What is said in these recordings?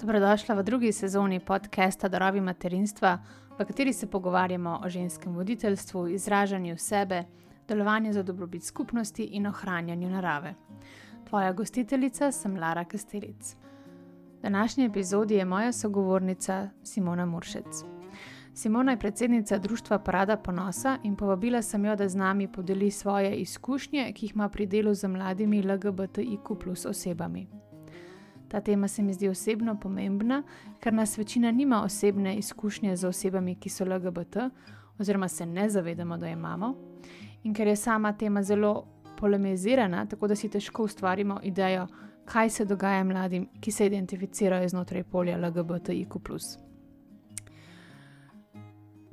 Dobrodošla v drugi sezoni podcasta Darovi materinstva, v kateri se pogovarjamo o ženskem voditeljstvu, izražanju sebe, delovanju za dobrobit skupnosti in ohranjanju narave. Tvoja gostiteljica sem Lara Kastelic. V današnji epizodi je moja sogovornica Simona Muršec. Simona je predsednica društva Parada ponosa in povabila sem jo, da z nami podeli svoje izkušnje, ki jih ima pri delu z mladimi LGBTIQ+ osebami. Ta tema se mi zdi osebno pomembna, ker nas večina nima osebne izkušnje z osebami, ki so LGBT, oziroma se ne zavedamo, da jo imamo, in ker je sama tema zelo polemizirana, tako da si težko ustvarimo idejo, kaj se dogaja mladim, ki se identificirajo znotraj polja LGBTIQ+.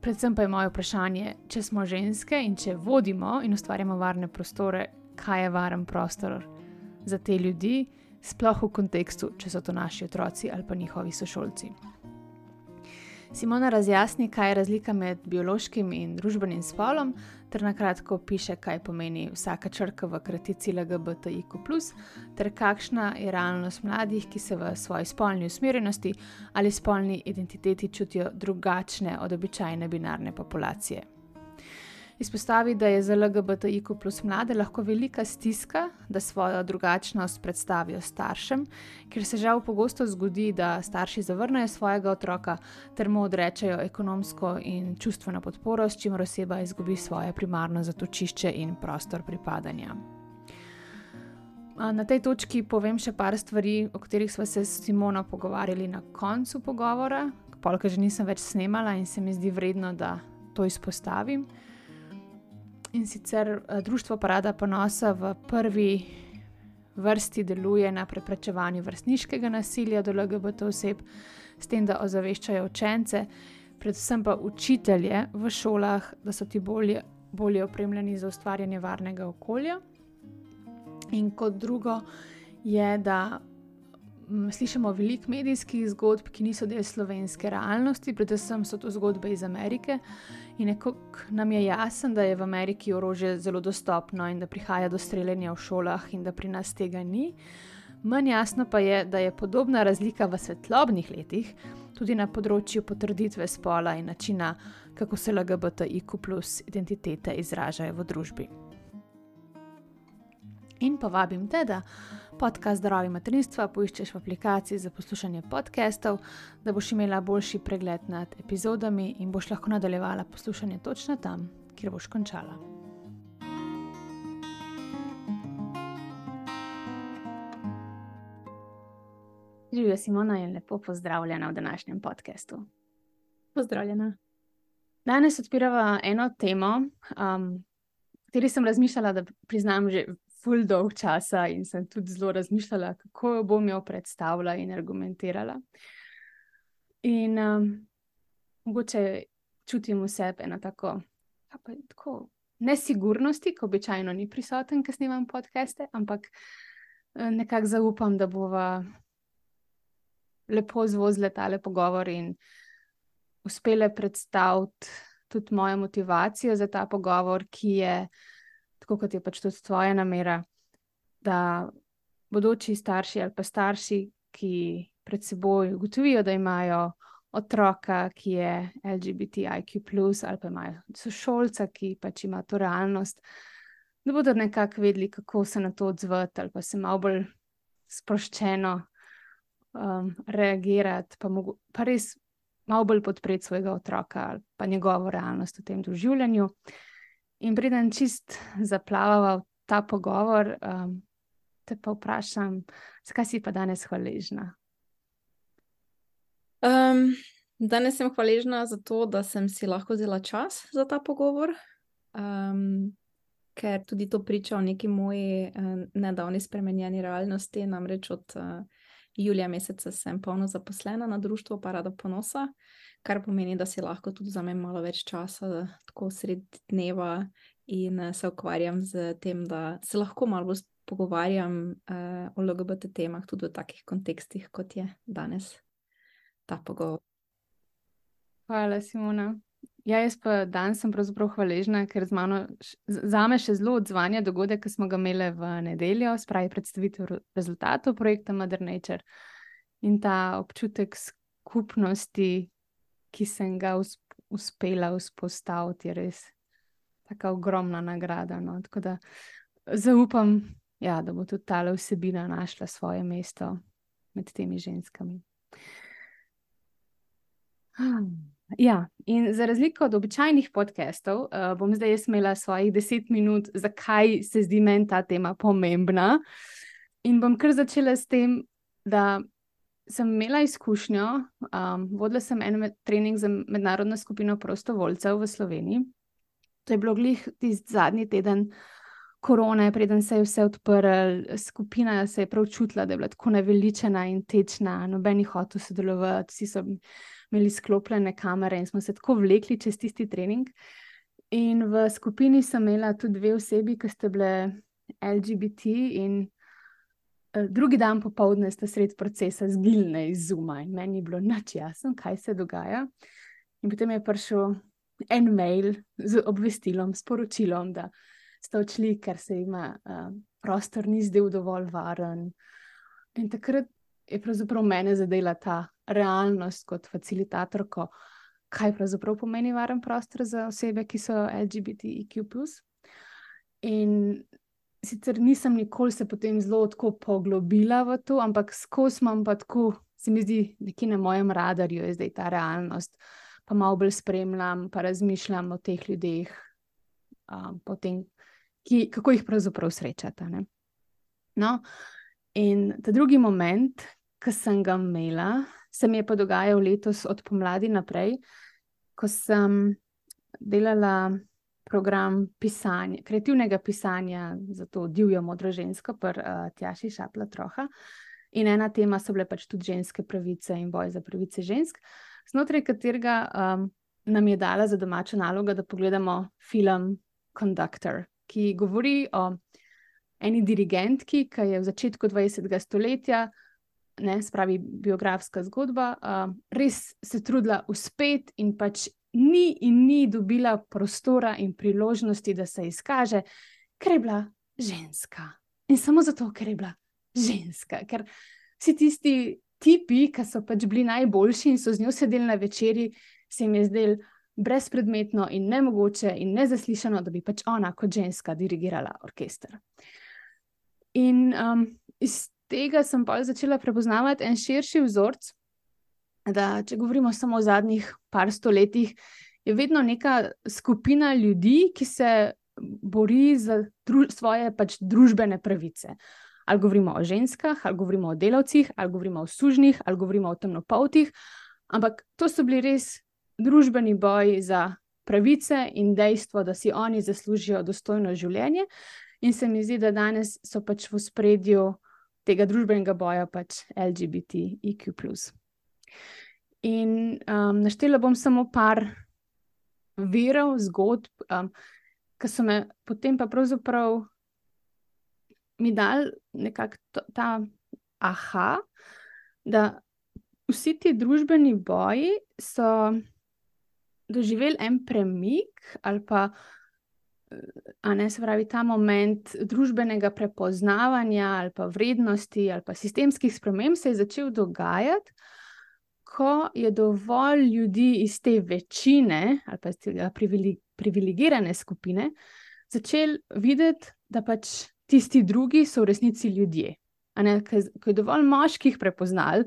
Predvsem pa je moje vprašanje, če smo ženske in če vodimo in ustvarjamo varne prostore, kaj je varen prostor za te ljudi, sploh v kontekstu, če so to naši otroci ali pa njihovi sošolci. Simona razjasni, kaj je razlika med biološkim in družbenim spolom, ter na kratko opiše, kaj pomeni vsaka črka v kratici LGBTIQ+, ter kakšna je realnost mladih, ki se v svoji spolni usmerjenosti ali spolni identiteti čutijo drugačne od običajne binarne populacije. Izpostavi, da je za LGBTIQ+ mlade lahko velika stiska, da svojo drugačnost predstavijo staršem, ker se žal pogosto zgodi, da starši zavrnejo svojega otroka ter mu odrečejo ekonomsko in čustveno podporo, s čimer oseba izgubi svoje primarno zatočišče in prostor pripadanja. Na tej točki povem še par stvari, o katerih sva se s Simono pogovarjali na koncu pogovora, polka že nisem več snemala in se mi zdi vredno, da to izpostavim. In sicer društvo Parada ponosa v prvi vrsti deluje na preprečevanju vrstniškega nasilja do LGBT oseb, s tem, da ozaveščajo učence, predvsem pa učitelje v šolah, da so ti bolje opremljeni za ustvarjanje varnega okolja. In kot drugo je, da slišimo veliko medijskih zgodb, ki niso del slovenske realnosti, predvsem so to zgodbe iz Amerike in nekako nam je jasen, da je v Ameriki orožje zelo dostopno in da prihaja do streljanja v šolah in da pri nas tega ni. Manj jasno pa je, da je podobna razlika v svetlobnih letih, tudi na področju potrditve spola in načina, kako se LGBTIQ+ identitete izražajo v družbi. In povabim te, da podcast Darovi materinstva poiščeš v aplikaciji za poslušanje podcastov, da boš imela boljši pregled nad epizodami in boš lahko nadaljevala poslušanje točno tam, kjer boš končala. Živjo, Simona, in lepo pozdravljena v današnjem podcastu. Pozdravljena. Danes odpirava eno temo, kateri sem razmišljala, da priznam že ful dolg časa in sem tudi zelo razmišljala, kako jo bom predstavila in argumentirala. In mogoče čutim v sebi eno tako nesigurnosti, ko običajno ni prisoten, ko snemam podcaste, ampak nekako zaupam, da bova lepo zvozile tale pogovor in uspele predstaviti tudi mojo motivacijo za ta pogovor, ki je tako kot je pač tudi tvoja namera, da bodoči starši ali pa starši, ki pred seboj ugotovijo, da imajo otroka, ki je LGBTIQ+, ali pa imajo sošolca, ki pač ima to realnost, da bodo nekako vedeli, kako se na to odzvati ali pa se malo bolj sproščeno reagirati, pa res malo bolj podpreti svojega otroka ali pa njegovo realnost v tem doživljanju. In preden čist zaplavava v ta pogovor, te pa vprašam, zakaj si pa danes hvaležna? Danes sem hvaležna za to, da sem si lahko vzela čas za ta pogovor, ker tudi to priča o neki moji nedavni spremenjeni realnosti, namreč od julija meseca sem polno zaposlena na društvu Parada ponosa, kar pomeni, da si lahko tudi vzamem malo več časa, tako sredi dneva, in se ukvarjam z tem, da se lahko malo bolj pogovarjam o LGBT temah, tudi v takih kontekstih, kot je danes ta pogovor. Hvala, Simona. Ja, jaz pa danes sem pravzaprav hvaležna, ker zame še zelo odzvanja dogodek, ki smo ga imeli v nedeljo, spravi predstavitev rezultatov projekta Mother Nature. In ta občutek skupnosti, ki sem ga uspela vzpostaviti, je res taka ogromna nagrada. No? Tako da zaupam, ja, da bo tudi ta vsebina našla svoje mesto med temi ženskami. Ja, in za razliko od običajnih podcastov, bom zdaj jaz imela svojih 10 minut, zakaj se zdi meni ta tema pomembna. In bom kar začela s tem, da sem imela izkušnjo, vodila sem en trening za mednarodno skupino prostovoljcev v Sloveniji. To je bilo glih tisti zadnji teden korone, preden se je vse odprlo, skupina se je prav čutila, da je bila tako naveličena in tečna, noben ni hotel sodelovati, vsi so imeli sklopljene kamere in smo se tako vlekli čez tisti trening. In v skupini sem imela tudi 2 osebi, ki ste bile LGBT in drugi dan popoldne sta sred procesa zginile iz Zooma in meni je bilo nič jasno, kaj se dogaja. In potem je prišel en mail z obvestilom, sporočilom, da sta odšli, ker se jima prostor ni zdel dovolj varen. In takrat je pravzaprav mene zadela ta realnost kot facilitatorko, kaj pravzaprav pomeni varen prostor za osebe, ki so LGBTIQ+. In sicer nisem nikoli se potem zelo tako poglobila v to, ampak skozi imam pa tako, se mi zdi, nekje na mojem radarju je zdaj ta realnost, pa malo bolj spremljam, pa razmišljam o teh ljudeh, potem, kako jih pravzaprav srečata. Ne? No, in ta drugi moment, ki sem ga imela, se mi je pa dogajal letos od pomladi naprej, ko sem delala program pisanja, kreativnega pisanja za to divjo modro žensko pri Tjaši Šapla-Troha. In ena tema so bile pač tudi ženske pravice in boj za pravice žensk, znotraj katerega nam je dala za domačo nalogo, da pogledamo film Conductor, ki govori o eni dirigentki, ki je v začetku 20. stoletja, spravi biografska zgodba, res se trudila uspeti in pač ni dobila prostora in priložnosti, da se izkaže, ker je bila ženska. In samo zato, ker je bila ženska. Ker vsi tisti tipi, ki so pač bili najboljši in so z njo sedeli na večerji, se jim je zdelo brezpredmetno in nemogoče in nezaslišano, da bi pač ona kot ženska dirigirala orkester. In iz tega sem pa začela prepoznavati en širši vzorec, da če govorimo samo o zadnjih par stoletjih, je vedno neka skupina ljudi, ki se bori za svoje pač družbene pravice. Ali govorimo o ženskah, ali govorimo o delavcih, ali govorimo o sužnjih, ali govorimo o temnopoltih, ampak to so bili res družbeni boji za pravice in dejstvo, da si oni zaslužijo dostojno življenje. In se mi zdi, da danes so pač v ospredju tega družbenega boja pač LGBTIQ+. In naštela bom samo par virov, zgodb, ki so me potem pa pravzaprav mi dali nekako ta aha, da vsi ti družbeni boji so doživeli en premik ali pa se pravi, ta moment družbenega prepoznavanja ali pa vrednosti ali pa sistemskih sprememb se je začel dogajati, ko je dovolj ljudi iz te večine ali pa iz tega privilegirane skupine začeli videti, da pač tisti drugi so v resnici ljudje. Ko je dovolj moških prepoznali,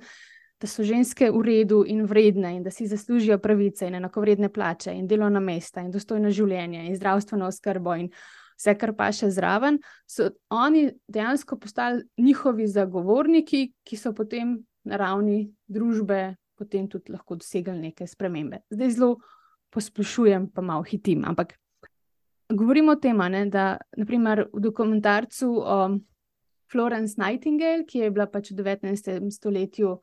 da so ženske v redu in vredne in da si zaslužijo pravice in enakovredne plače in delovna mesta in dostojno življenje in zdravstveno oskrbo in vse, kar pa še zraven, so oni dejansko postali njihovi zagovorniki, ki so potem na ravni družbe potem tudi lahko dosegli neke spremembe. Zdaj zelo posplošujem, pa malo hitim, ampak govorimo o tem, da naprimer v dokumentarcu o Florence Nightingale, ki je bila pač v 19. stoletju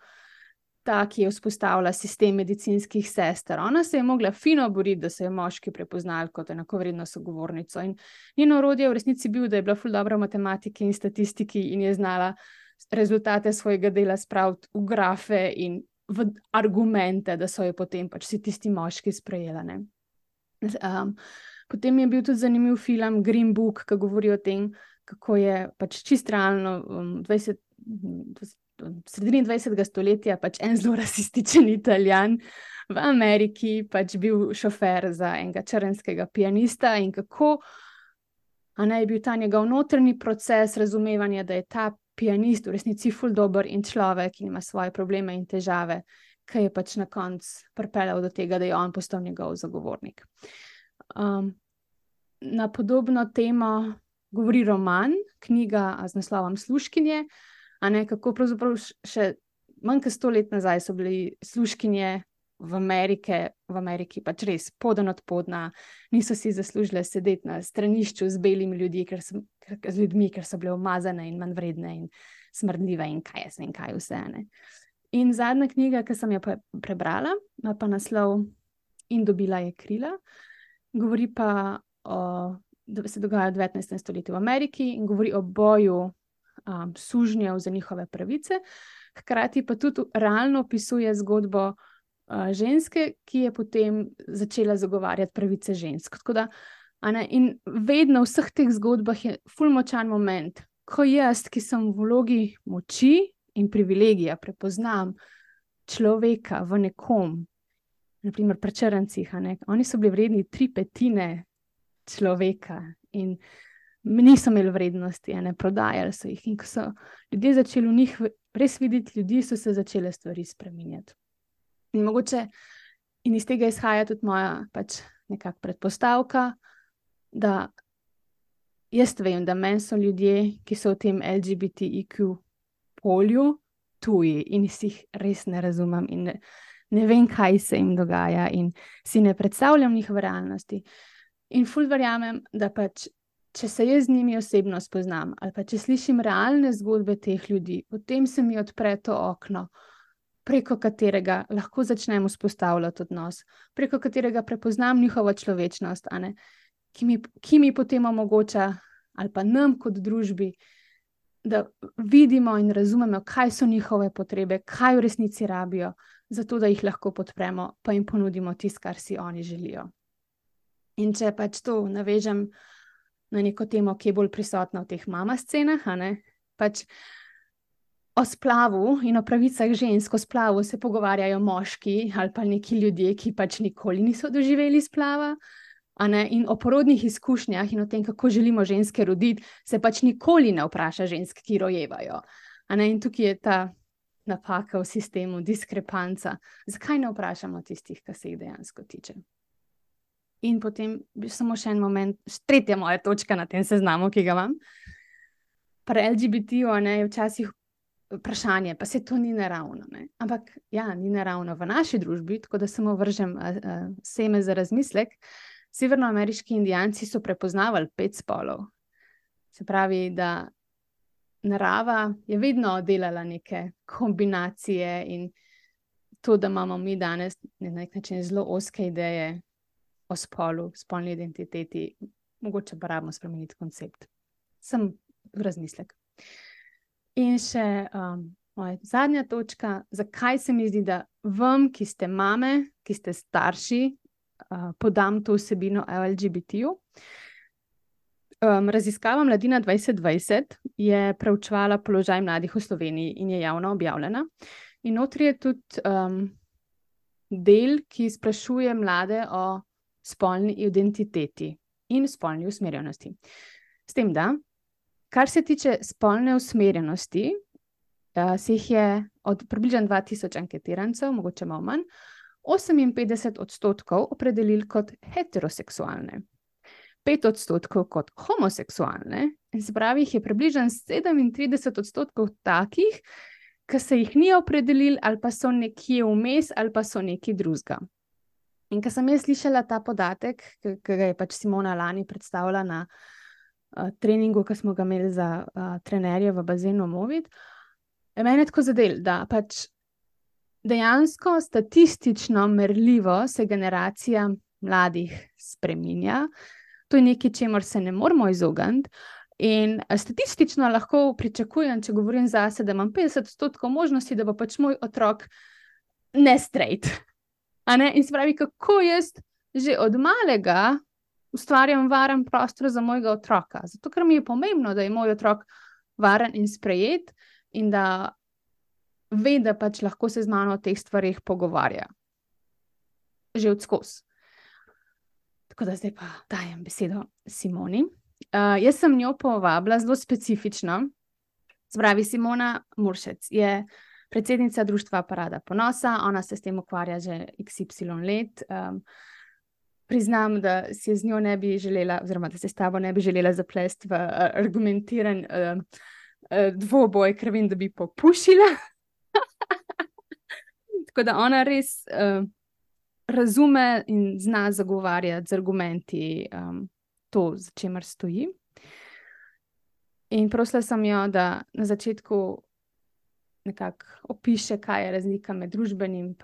ta, ki je vzpostavila sistem medicinskih sester. Ona se je mogla fino boriti, da so jo moški prepoznali kot enakovredno sogovornico. In njeno orodje v resnici bil, da je bila ful dobra v matematiki in statistiki in je znala rezultate svojega dela spraviti v grafe in v argumente, da so jo potem pač vsi tisti moški sprejeli. Potem je bil tudi zanimiv film Green Book, ki govori o tem, kako je pač čist realno v sredini 20. stoletja pač en zelo rasističen Italijan v Ameriki, pač bil šofer za enega črnskega pianista in kako je bil ta njegov notranji proces razumevanja, da je ta pianist v resnici ful dober in človek in ima svoje probleme in težave, ki je pač na koncu pripeljal do tega, da je on postal njegov zagovornik. Na podobno temo govori roman, knjiga z naslovom Služkinje, kako pravzaprav še manj kot 100 let nazaj so bili služkinje v Ameriki pač res poden od podna, niso si zaslužile sedeti na stranišču z belimi ljudmi, ker so bile umazane in manjvredne in smrdljive in kaj vse. In zadnja knjiga, ki sem jo prebrala, ima pa naslov In dobila je krila, govori pa da se dogaja v 19. stoletju v Ameriki in govori o boju sužnjev za njihove pravice, hkrati pa tudi realno opisuje zgodbo ženske, ki je potem začela zagovarjati pravice žensk. Tako da, in vedno v vseh teh zgodbah je ful močan moment, ko jaz, ki sem v vlogi moči in privilegija, prepoznam človeka v nekom, naprimer pri črncih, oni so bili vredni 3/5 človeka in niso imeli vrednosti, prodajali so jih. In ko so ljudje začeli v njih res videti ljudi, so se začele stvari spreminjati. In mogoče in iz tega izhaja tudi moja pač nekak predpostavka, da jaz vem, da meni so ljudje, ki so v tem LGBTIQ polju tuji in si jih res ne razumem in ne vem, kaj se jim dogaja in si ne predstavljam njihove realnosti. In ful verjamem, da pač, če se jaz z njimi osebno spoznam ali pa če slišim realne zgodbe teh ljudi, potem se mi odpre to okno, preko katerega lahko začnem vzpostavljati odnos, preko katerega prepoznam njihovo človečnost, ki mi potem omogoča, ali pa nam kot družbi, da vidimo in razumemo, kaj so njihove potrebe, kaj v resnici rabijo, zato da jih lahko podpremo, pa jim ponudimo tisto, kar si oni želijo. In če pač to navežem na neko temo, ki je bolj prisotna v teh mama scenah, pač o splavu in o pravicah žensk, o splavu se pogovarjajo moški ali pa neki ljudje, ki pač nikoli niso doživeli splava, in o porodnih izkušnjah in o tem, kako želimo ženske roditi, se pač nikoli ne vpraša žensk, ki rojevajo. In tukaj je ta napaka v sistemu, diskrepanca. Zakaj ne vprašamo tistih, ki se jih dejansko tiče? In potem samo še en moment, tretja moja točka na tem seznamu, ki ga imam. Pri LGBT-ju je včasih vprašanje, pa se to ni naravno. Ampak ja, ni naravno v naši družbi, tako da samo vržem seme za razmislek. Severnoameriški indijanci so prepoznavali 5 spolov. Se pravi, da narava je vedno delala neke kombinacije in to, da imamo mi danes na nek način zelo ozke ideje o spolu, spolni identiteti, mogoče pa rabimo spremeniti koncept. Sem v razmislek. In še moja zadnja točka, zakaj se mi zdi, da vam, ki ste mame, ki ste starši, podam to vsebino o LGBT-ju. Raziskava Mladina 2020 je preučevala položaj mladih v Sloveniji in je javno objavljena. In notri je tudi del, ki sprašuje mlade o spolni identiteti in spolni usmerjenosti. S tem, da, kar se tiče spolne usmerjenosti, se jih je od približno 2000 anketirancev, mogoče malo manj, 58% opredelili kot heteroseksualne, 5% kot homoseksualne, in se pravi, jih je približno 37% takih, ki se jih ni opredelili ali pa so nekje vmes ali pa so nekaj drugega. In ko sem jaz slišala ta podatek, ki ga je pač Simona lani predstavila na treningu, ki smo ga imeli za trenerje v bazenu Movit, je mene tako zadel, da pač dejansko statistično merljivo se generacija mladih spreminja. To je nekaj, čemur se ne moramo izogniti. In statistično lahko pričakujem, če govorim zase, da imam 50% možnosti, da bo pač moj otrok ne straight. In se pravi, kako jaz že od malega ustvarjam varen prostor za mojega otroka. Zato, ker mi je pomembno, da je moj otrok varen in sprejet in da ve, da pač lahko se z mano o teh stvarih pogovarja. Že odskozi. Tako da zdaj pa dajem besedo Simoni. Jaz sem njo povabila zelo specifično. Spravi, Simona Muršec je predsednica Društva Parada ponosa, ona se s tem ukvarja že XY let. Priznam, da si z njo ne bi želela, oziroma da se s tabo ne bi želela zaplesti v argumentiran dvoboj, ker vem, da bi popušila. Tako da ona res razume in zna zagovarjati z argumenti to, za čemer stoji. In prosila sem jo, da na začetku nekako opiše, kaj je razlika med družbenim in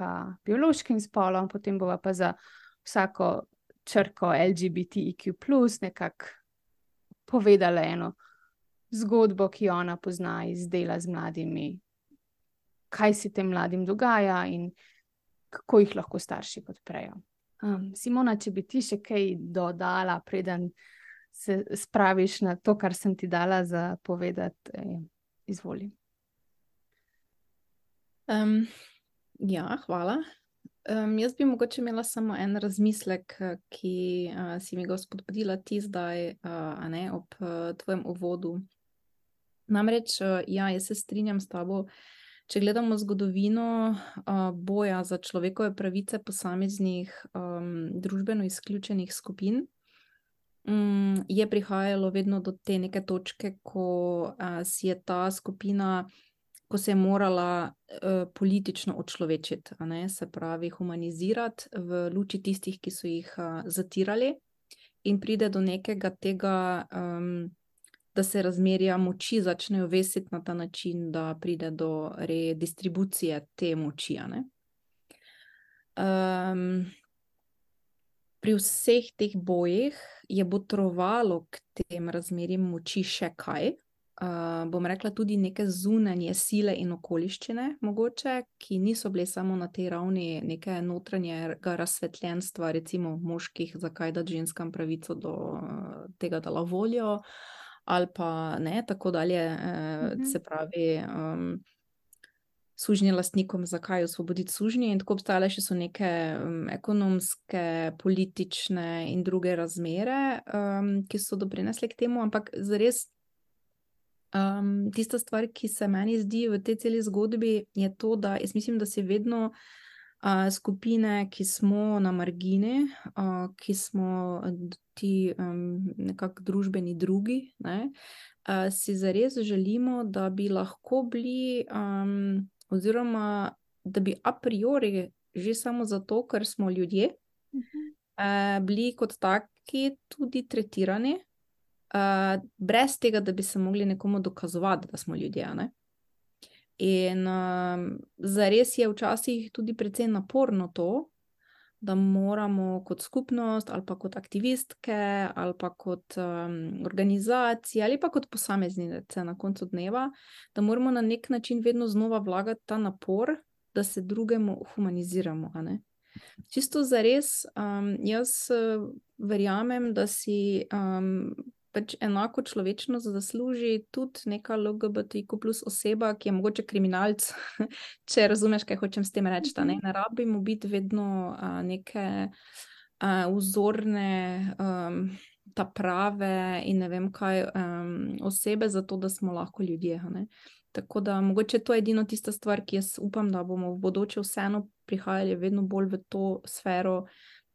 biološkim spolom, potem bova pa za vsako črko LGBTIQ+, nekako povedala eno zgodbo, ki jo ona pozna iz dela z mladimi, kaj se tem mladim dogaja in kako jih lahko starši podprejo. Simona, če bi ti še kaj dodala, preden se spraviš na to, kar sem ti dala za povedati, izvoli. Ja, hvala. Jaz bi mogoče imela samo en razmislek, ki si mi ga spodbudila ti zdaj, ob tvojem uvodu. Namreč, jaz se strinjam s tabo, če gledamo zgodovino boja za človekove pravice posameznih družbeno izključenih skupin, je prihajalo vedno do te neke točke, ko si je ta skupina, ko se je morala politično očlovečiti, se pravi humanizirati v luči tistih, ki so jih zatirali, in pride do nekega tega, da se razmerja moči začnejo vesiti na ta način, da pride do redistribucije te moči. Pri vseh teh bojih je botrovalo k tem razmerjem moči še kaj. Bom rekla tudi neke zunanje sile in okoliščine, mogoče, ki niso bile samo na tej ravni neke notranjega razsvetljenstva, recimo moških, zakaj dati ženskam pravico do tega, da lavolijo, ali pa ne, tako dalje, se pravi, sužnje lastnikom, zakaj osvoboditi sužnje, in tako obstajale še so neke ekonomske, politične in druge razmere, ki so doprinesle k temu, ampak zares tista stvar, ki se meni zdi v tej celi zgodbi, je to, da jaz mislim, da si vedno skupine, ki smo na margini, ki smo ti nekako družbeni drugi, ne, si zares želimo, da bi lahko bili, oziroma da bi a priori že samo zato, ker smo ljudje, bili kot taki tudi tretirani, brez tega, da bi se mogli nekomu dokazovati, da smo ljudje, ne. In zares je včasih tudi precej naporno to, da moramo kot skupnost ali pa kot aktivistke ali pa kot organizacije ali pa kot posameznice na koncu dneva, da moramo na nek način vedno znova vlagati ta napor, da se drugemu humaniziramo, a ne. Čisto zares, jaz verjamem, da si pač enako človečnost zasluži tudi neka LGBTQ+ oseba, ki je mogoče kriminalec, če razumeš, kaj hočem s tem reči, ne. Ne rabimo biti vedno neke vzorne, ta prave in ne vem kaj osebe, zato da smo lahko ljudje, a ne. Tako da mogoče to je edino tista stvar, ki jaz upam, da bomo v bodoče vseeno prihajali vedno bolj v to sfero,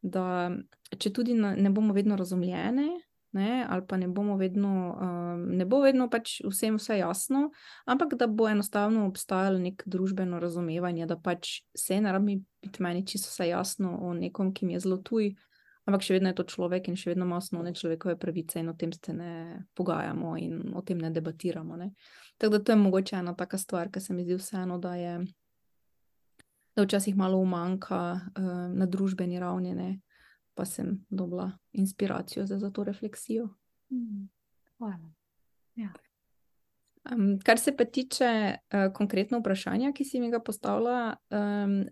da če tudi ne bomo vedno razumljene, ne, ali pa ne bomo vedno, ne bo vedno pač vsem vse jasno, ampak da bo enostavno obstajalo neko družbeno razumevanje, da pač se ne rabi biti meni čisto vse jasno o nekom, ki mi je zelo tuj, ampak še vedno je to človek in še vedno ima osnovne človekove pravice in o tem se ne pogajamo in o tem ne debatiramo, ne. Tako da to je mogoče ena taka stvar, ki se mi zdi vseeno, da včasih malo umanjka na družbeni ravni, ne. Pa sem dobila inspiracijo za to refleksijo. Hvala. Ja. Kar se pa tiče konkretno vprašanja, ki si mi ga postavila,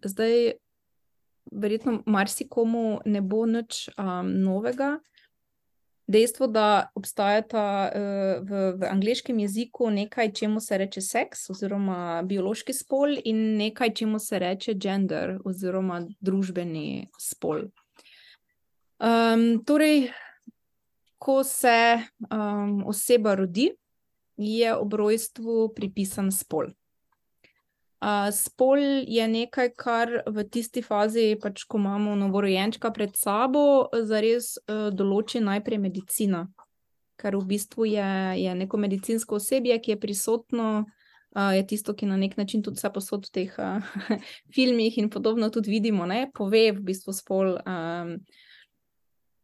zdaj verjetno marsikomu ne bo nič novega, dejstvo, da obstajata v angleškem jeziku nekaj, čemu se reče seks oziroma biološki spol in nekaj, čemu se reče gender oziroma družbeni spol. Torej, ko se oseba rodi, je ob rojstvu pripisan spol. Spol je nekaj, kar v tisti fazi, pač, ko imamo novorojenčka pred sabo, zares določi najprej medicina, ker v bistvu je neko medicinsko osebje, ki je prisotno, je tisto, ki na nek način tudi vse posod v teh filmih in podobno tudi vidimo, ne, pove v bistvu spol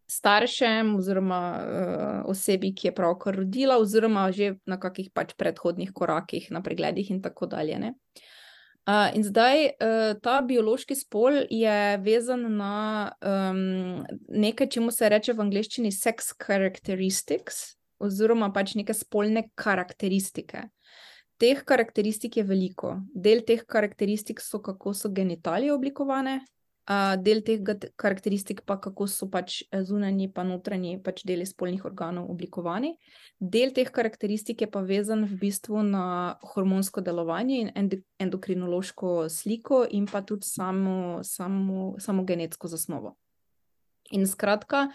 staršem oziroma osebi, ki je pravkar rodila, oziroma že na kakih pač predhodnih korakih, na pregledih in tako dalje, ne. In zdaj ta biološki spol je vezan na nekaj, čemu se reče v angleščini sex characteristics, oziroma pač neke spolne karakteristike. Teh karakteristik je veliko. Del teh karakteristik so, kako so genitalije oblikovane, del teh karakteristik pa, kako so pač zunanji pa notranji pač deli spolnih organov oblikovani. Del teh karakteristik je pa vezan v bistvu na hormonsko delovanje in endokrinološko sliko in pa tudi samo genetsko zasnovo. In skratka,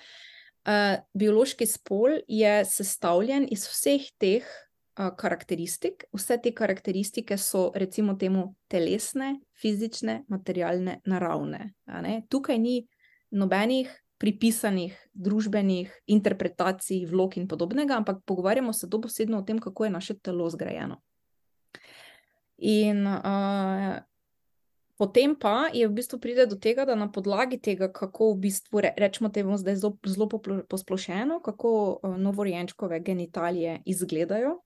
biološki spol je sestavljen iz vseh teh karakteristik. Vse te karakteristike so, recimo temu, telesne, fizične, materialne, naravne, a ne. Tukaj ni nobenih pripisanih družbenih interpretacij, vlog in podobnega, ampak pogovarjamo se dobesedno o tem, kako je naše telo zgrajeno. In potem pa je v bistvu pride do tega, da na podlagi tega, kako v bistvu, rečemo temu zdaj zelo posplošeno, kako novorojenčkove genitalije izgledajo,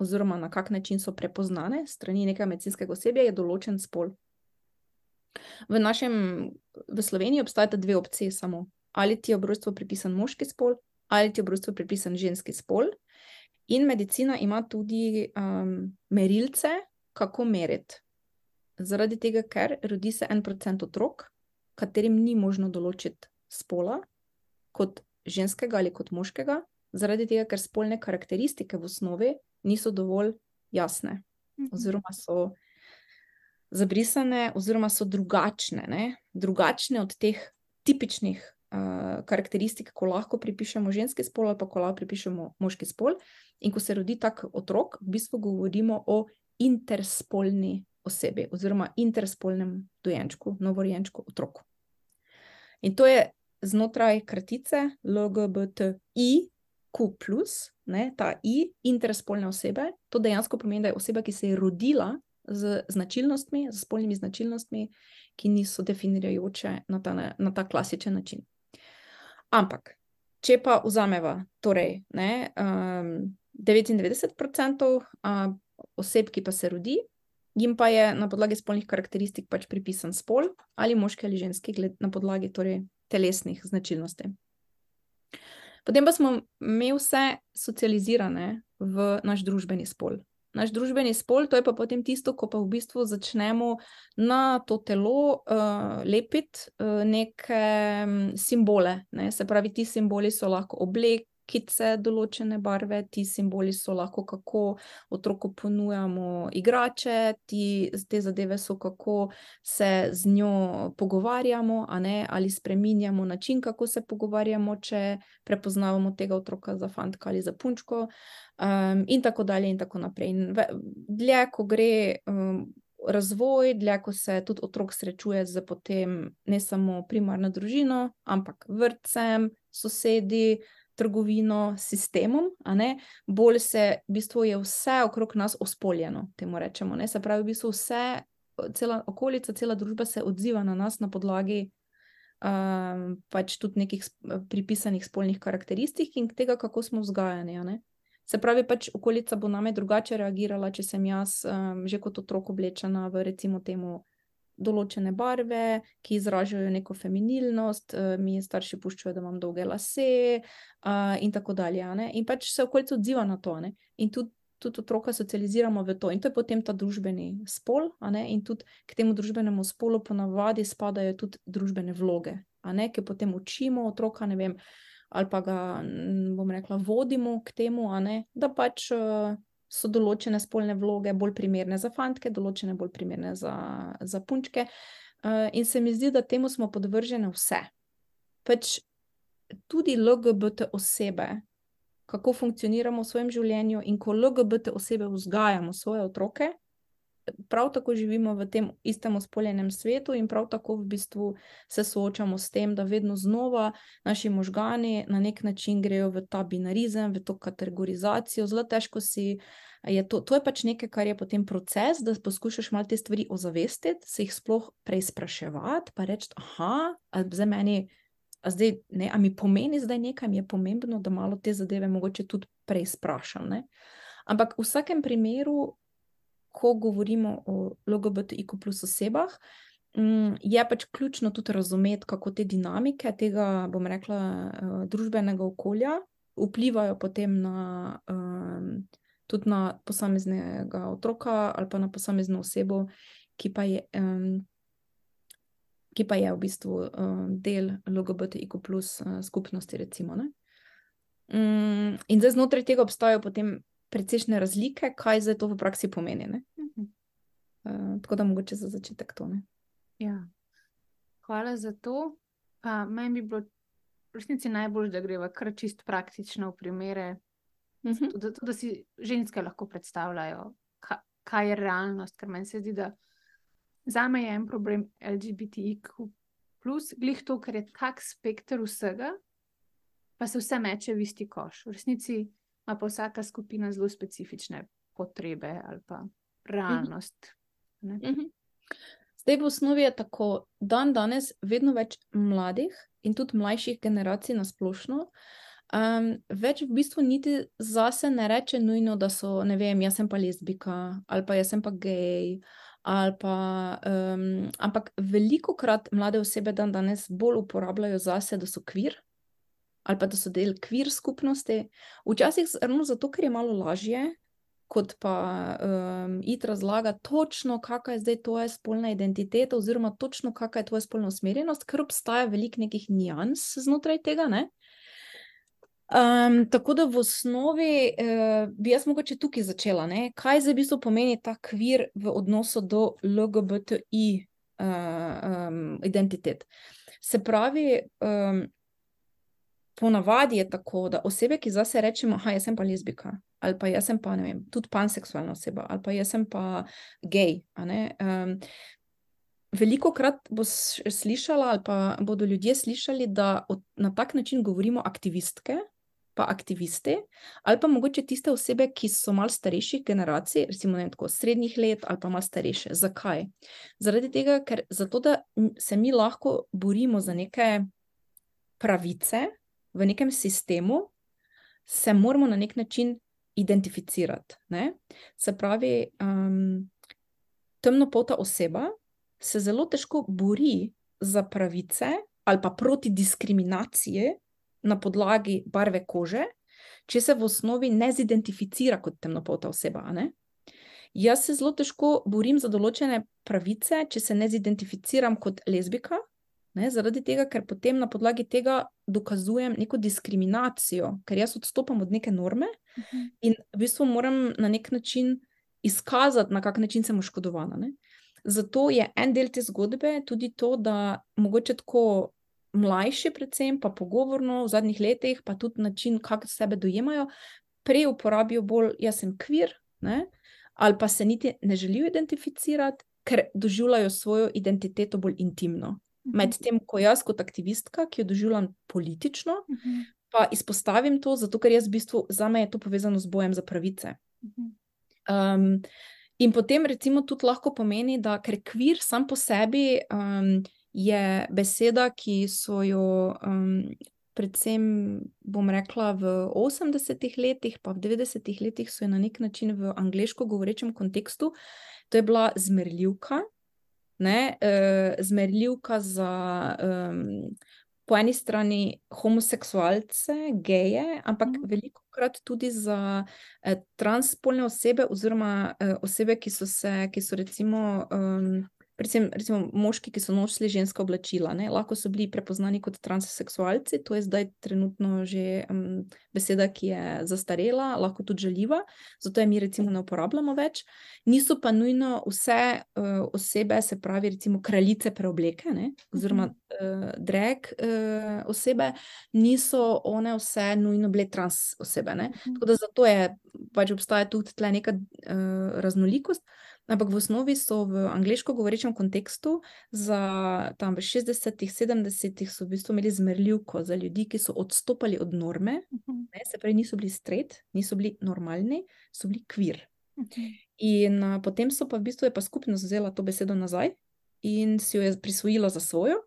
oziroma na kak način so prepoznane strani nekega medicinskega osebja, je določen spol. V Sloveniji obstajata dve opciji samo. Ali ti je ob rojstvu pripisan moški spol, ali ti je ob rojstvu pripisan ženski spol. In medicina ima tudi merilce, kako meriti. Zaradi tega, ker rodi se 1% otrok, katerim ni možno določiti spola, kot ženskega ali kot moškega, zaradi tega, ker spolne karakteristike v osnovi niso dovolj jasne, oziroma so zabrisane, oziroma so drugačne, ne? Drugačne od teh tipičnih karakteristik, ko lahko pripišemo ženski spol ali pa ko lahko pripišemo moški spol. In ko se rodi tak otrok, v bistvu govorimo o interspolni osebi, oziroma interspolnem dojenčku, novorojenčku, otroku. In to je znotraj kratice LGBTIQ+, ne, ta I, interspolne osebe, to dejansko pomeni, da je oseba, ki se je rodila z značilnostmi, z spolnimi značilnostmi, ki niso definirajoče na ta klasičen način. Ampak, če pa vzameva, torej, ne, 99% oseb, ki pa se rodi, jim pa je na podlagi spolnih karakteristik pač pripisan spol, ali moški ali ženski, na podlagi torej telesnih značilnosti. Potem pa smo mi vse socializirane v naš družbeni spol. Naš družbeni spol, to je pa potem tisto, ko pa v bistvu začnemo na to telo lepiti neke simbole, ne. Se pravi, ti simboli so lahko oblekice določene barve, ti simboli so lahko, kako otroku ponujamo igrače, te zadeve so, kako se z njo pogovarjamo, a ne, ali spreminjamo način, kako se pogovarjamo, če prepoznavamo tega otroka za fantka ali za punčko, in tako dalje in tako naprej. In dlje, ko gre razvoj, dlje, ko se tudi otrok srečuje z potem ne samo primarno družino, ampak vrtcem, sosedi, trgovino, sistemom, a ne, bolj se, v bistvu je vse okrog nas ospoljeno, temu rečemo, ne, se pravi, v bistvu vse, cela okolica, cela družba se odziva na nas na podlagi pač tudi nekih pripisanih spolnih karakteristik in tega, kako smo vzgajani, a ne. Se pravi, pač okolica bo name drugače reagirala, če sem jaz že kot otrok oblečena v, recimo temu, določene barve, ki izražajo neko feminilnost, mi starši puščajo, da imam dolge lase, in tako dalje, a ne. In pač se okolica odziva na to, a ne. In tudi otroka socializiramo v to. In to je potem ta družbeni spol, a ne, in tudi k temu družbenemu spolu ponavadi spadajo tudi družbene vloge, a ne, ki potem učimo otroka, ne vem, ali pa ga, bom rekla, vodimo k temu, a ne, da pač so določene spolne vloge bolj primerne za fantke, določene bolj primerne za punčke. In se mi zdi, da temu smo podvržene vse. Pač tudi LGBT osebe, kako funkcioniramo v svojem življenju in ko LGBT osebe vzgajamo svoje otroke, prav tako živimo v tem istem ospoljenem svetu in prav tako v bistvu se soočamo s tem, da vedno znova naši možgani na nek način grejo v ta binarizem, v to kategorizacijo. Zelo težko je to je pač nekaj, kar je potem proces, da poskušaš malo te stvari ozavestiti, se jih sploh preizpraševati, pa reči, aha, a mi pomeni zdaj nekaj, mi je pomembno, da malo te zadeve mogoče tudi preizprašam, ne? Ampak v vsakem primeru, ko govorimo o LGBTIQ+ osebah, je pač ključno tudi razumeti, kako te dinamike tega, bom rekla, družbenega okolja vplivajo potem tudi na posameznega otroka ali pa na posamezno osebo, ki pa je v bistvu del LGBTIQ+ skupnosti, recimo, ne. In zdaj znotraj tega obstajajo potem precejšnje razlike, kaj zdaj to v praksi pomeni, ne. Tako da mogoče za začetek to, ne. Ja. Hvala za to. Meni bi bilo v resnici najbolj, da greva kar čisto praktično v primere, tudi, da si ženske lahko predstavljajo, kaj je realnost, ker meni se zdi, da zame je en problem LGBTIQ+, glih to, ker je tak spekter vsega, pa se vse meče v isti koš. V resnici ima pa vsaka skupina zelo specifične potrebe ali pa realnost. Zdaj v osnovi je tako, danes vedno več mladih in tudi mlajših generacij na splošno, več v bistvu niti zase ne reče nujno, da so, ne vem, jaz sem pa lezbika, ali pa jaz sem pa gej, ali pa, ampak velikokrat mlade osebe danes bolj uporabljajo zase, da so queer, ali pa da so del queer skupnosti. Včasih ravno zato, ker je malo lažje, kot pa iti razlagati točno, kakva je zdaj tvoja spolna identiteta oziroma točno, kakva je tvoja spolna usmerjenost, ker obstaja veliko nekih nians znotraj tega, ne. Tako da v osnovi bi jaz mogoče tukaj začela, ne. Kaj zdaj v bistvu pomeni ta queer v odnosu do LGBTI identitet? Se pravi, ponavadi je tako, da osebe, ki zase rečemo, jaz sem pa lezbika, ali pa jaz sem pa, ne vem, tudi panseksualna oseba, ali pa jaz sem pa gej, a ne, velikokrat boš slišala, ali pa bodo ljudje slišali, da na tak način govorimo aktivistke, pa aktivisti, ali pa mogoče tiste osebe, ki so malo starejših generacij, recimo, ne vem, tako srednjih let, ali pa malo starejše. Zakaj? Zaradi tega, ker zato, da se mi lahko borimo za neke pravice v nekem sistemu, se moramo na nek način identificirati, ne. Se pravi, temnopolta oseba se zelo težko bori za pravice ali pa proti diskriminaciji na podlagi barve kože, če se v osnovi ne zidentificira kot temnopolta oseba, a ne. Jaz se zelo težko borim za določene pravice, če se ne zidentificiram kot lezbika, ne, zaradi tega, ker potem na podlagi tega dokazujem neko diskriminacijo, ker jaz odstopam od neke norme in v bistvu moram na nek način izkazati, na kak način sem oškodovana, ne. Zato je en del te zgodbe tudi to, da mogoče tako mlajši predvsem, pa pogovorno v zadnjih letih, pa tudi način, kako sebe dojemajo, prej uporabijo bolj, jaz sem queer, ne, ali pa se niti ne želijo identificirati, ker doživljajo svojo identiteto bolj intimno. Medtem ko jaz kot aktivistka, ki jo doživljam politično, pa izpostavim to, zato ker jaz v bistvu, zame je to povezano z bojem za pravice. In potem recimo tudi lahko pomeni, da ker queer sam po sebi je beseda, ki so jo predvsem, bom rekla, v 80-ih letih, pa v 90-ih letih so jo na nek način v angleško govorečem kontekstu, to je bila zmerljivka, ne, zmerljivka za po eni strani homoseksualce, geje, ampak velikokrat tudi za transspolne osebe oziroma osebe, ki so recimo predvsem recimo moški, ki so nosili ženska oblačila, ne, lahko so bili prepoznani kot transseksualci, to je zdaj trenutno že beseda, ki je zastarela, lahko tudi žaljiva, zato je mi recimo ne uporabljamo več. Niso pa nujno vse osebe, se pravi recimo kraljice preobleke, ne, oziroma drag osebe, niso one vse nujno bile trans osebe, ne. Tako da zato je, pač obstaja tudi tle neka raznolikost, ampak v osnovi so v angleško govorečem kontekstu za tam v 60-ih, 70-ih so v bistvu imeli zmerljivko za ljudi, ki so odstopali od norme, ne, se pravi niso bili straight, niso bili normalni, so bili queer. In potem so pa v bistvu je pa skupnost vzela to besedo nazaj in si jo je prisvojila za svojo.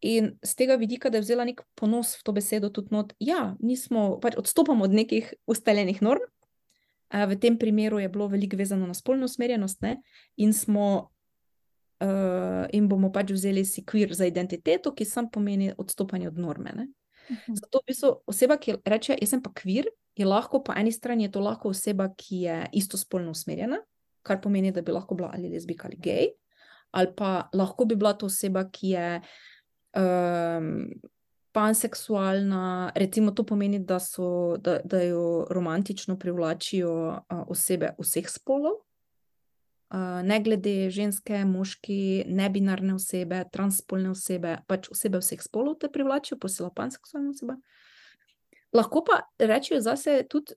In z tega vidika, da je vzela nek ponos v to besedo tudi not, ja, nismo, pač odstopamo od nekih ustaljenih norm. V tem primeru je bilo veliko vezano na spolno usmerjenost, ne? In bomo pač vzeli si queer za identiteto, ki sam pomeni odstopanje od norme, ne? Zato v bistvu oseba, ki reče, jaz sem pa queer, je lahko po eni strani je to lahko oseba, ki je istospolno usmerjena, kar pomeni, da bi lahko bila ali lezbijka ali gej, ali pa lahko bi bila to oseba, ki je panseksualna, recimo to pomeni, da jo romantično privlačijo osebe vseh spolov, ne glede ženske, moški, nebinarne osebe, transspolne osebe, pač osebe vseh spolov te privlačijo, posebej panseksualne osebe. Lahko pa rečejo zase tudi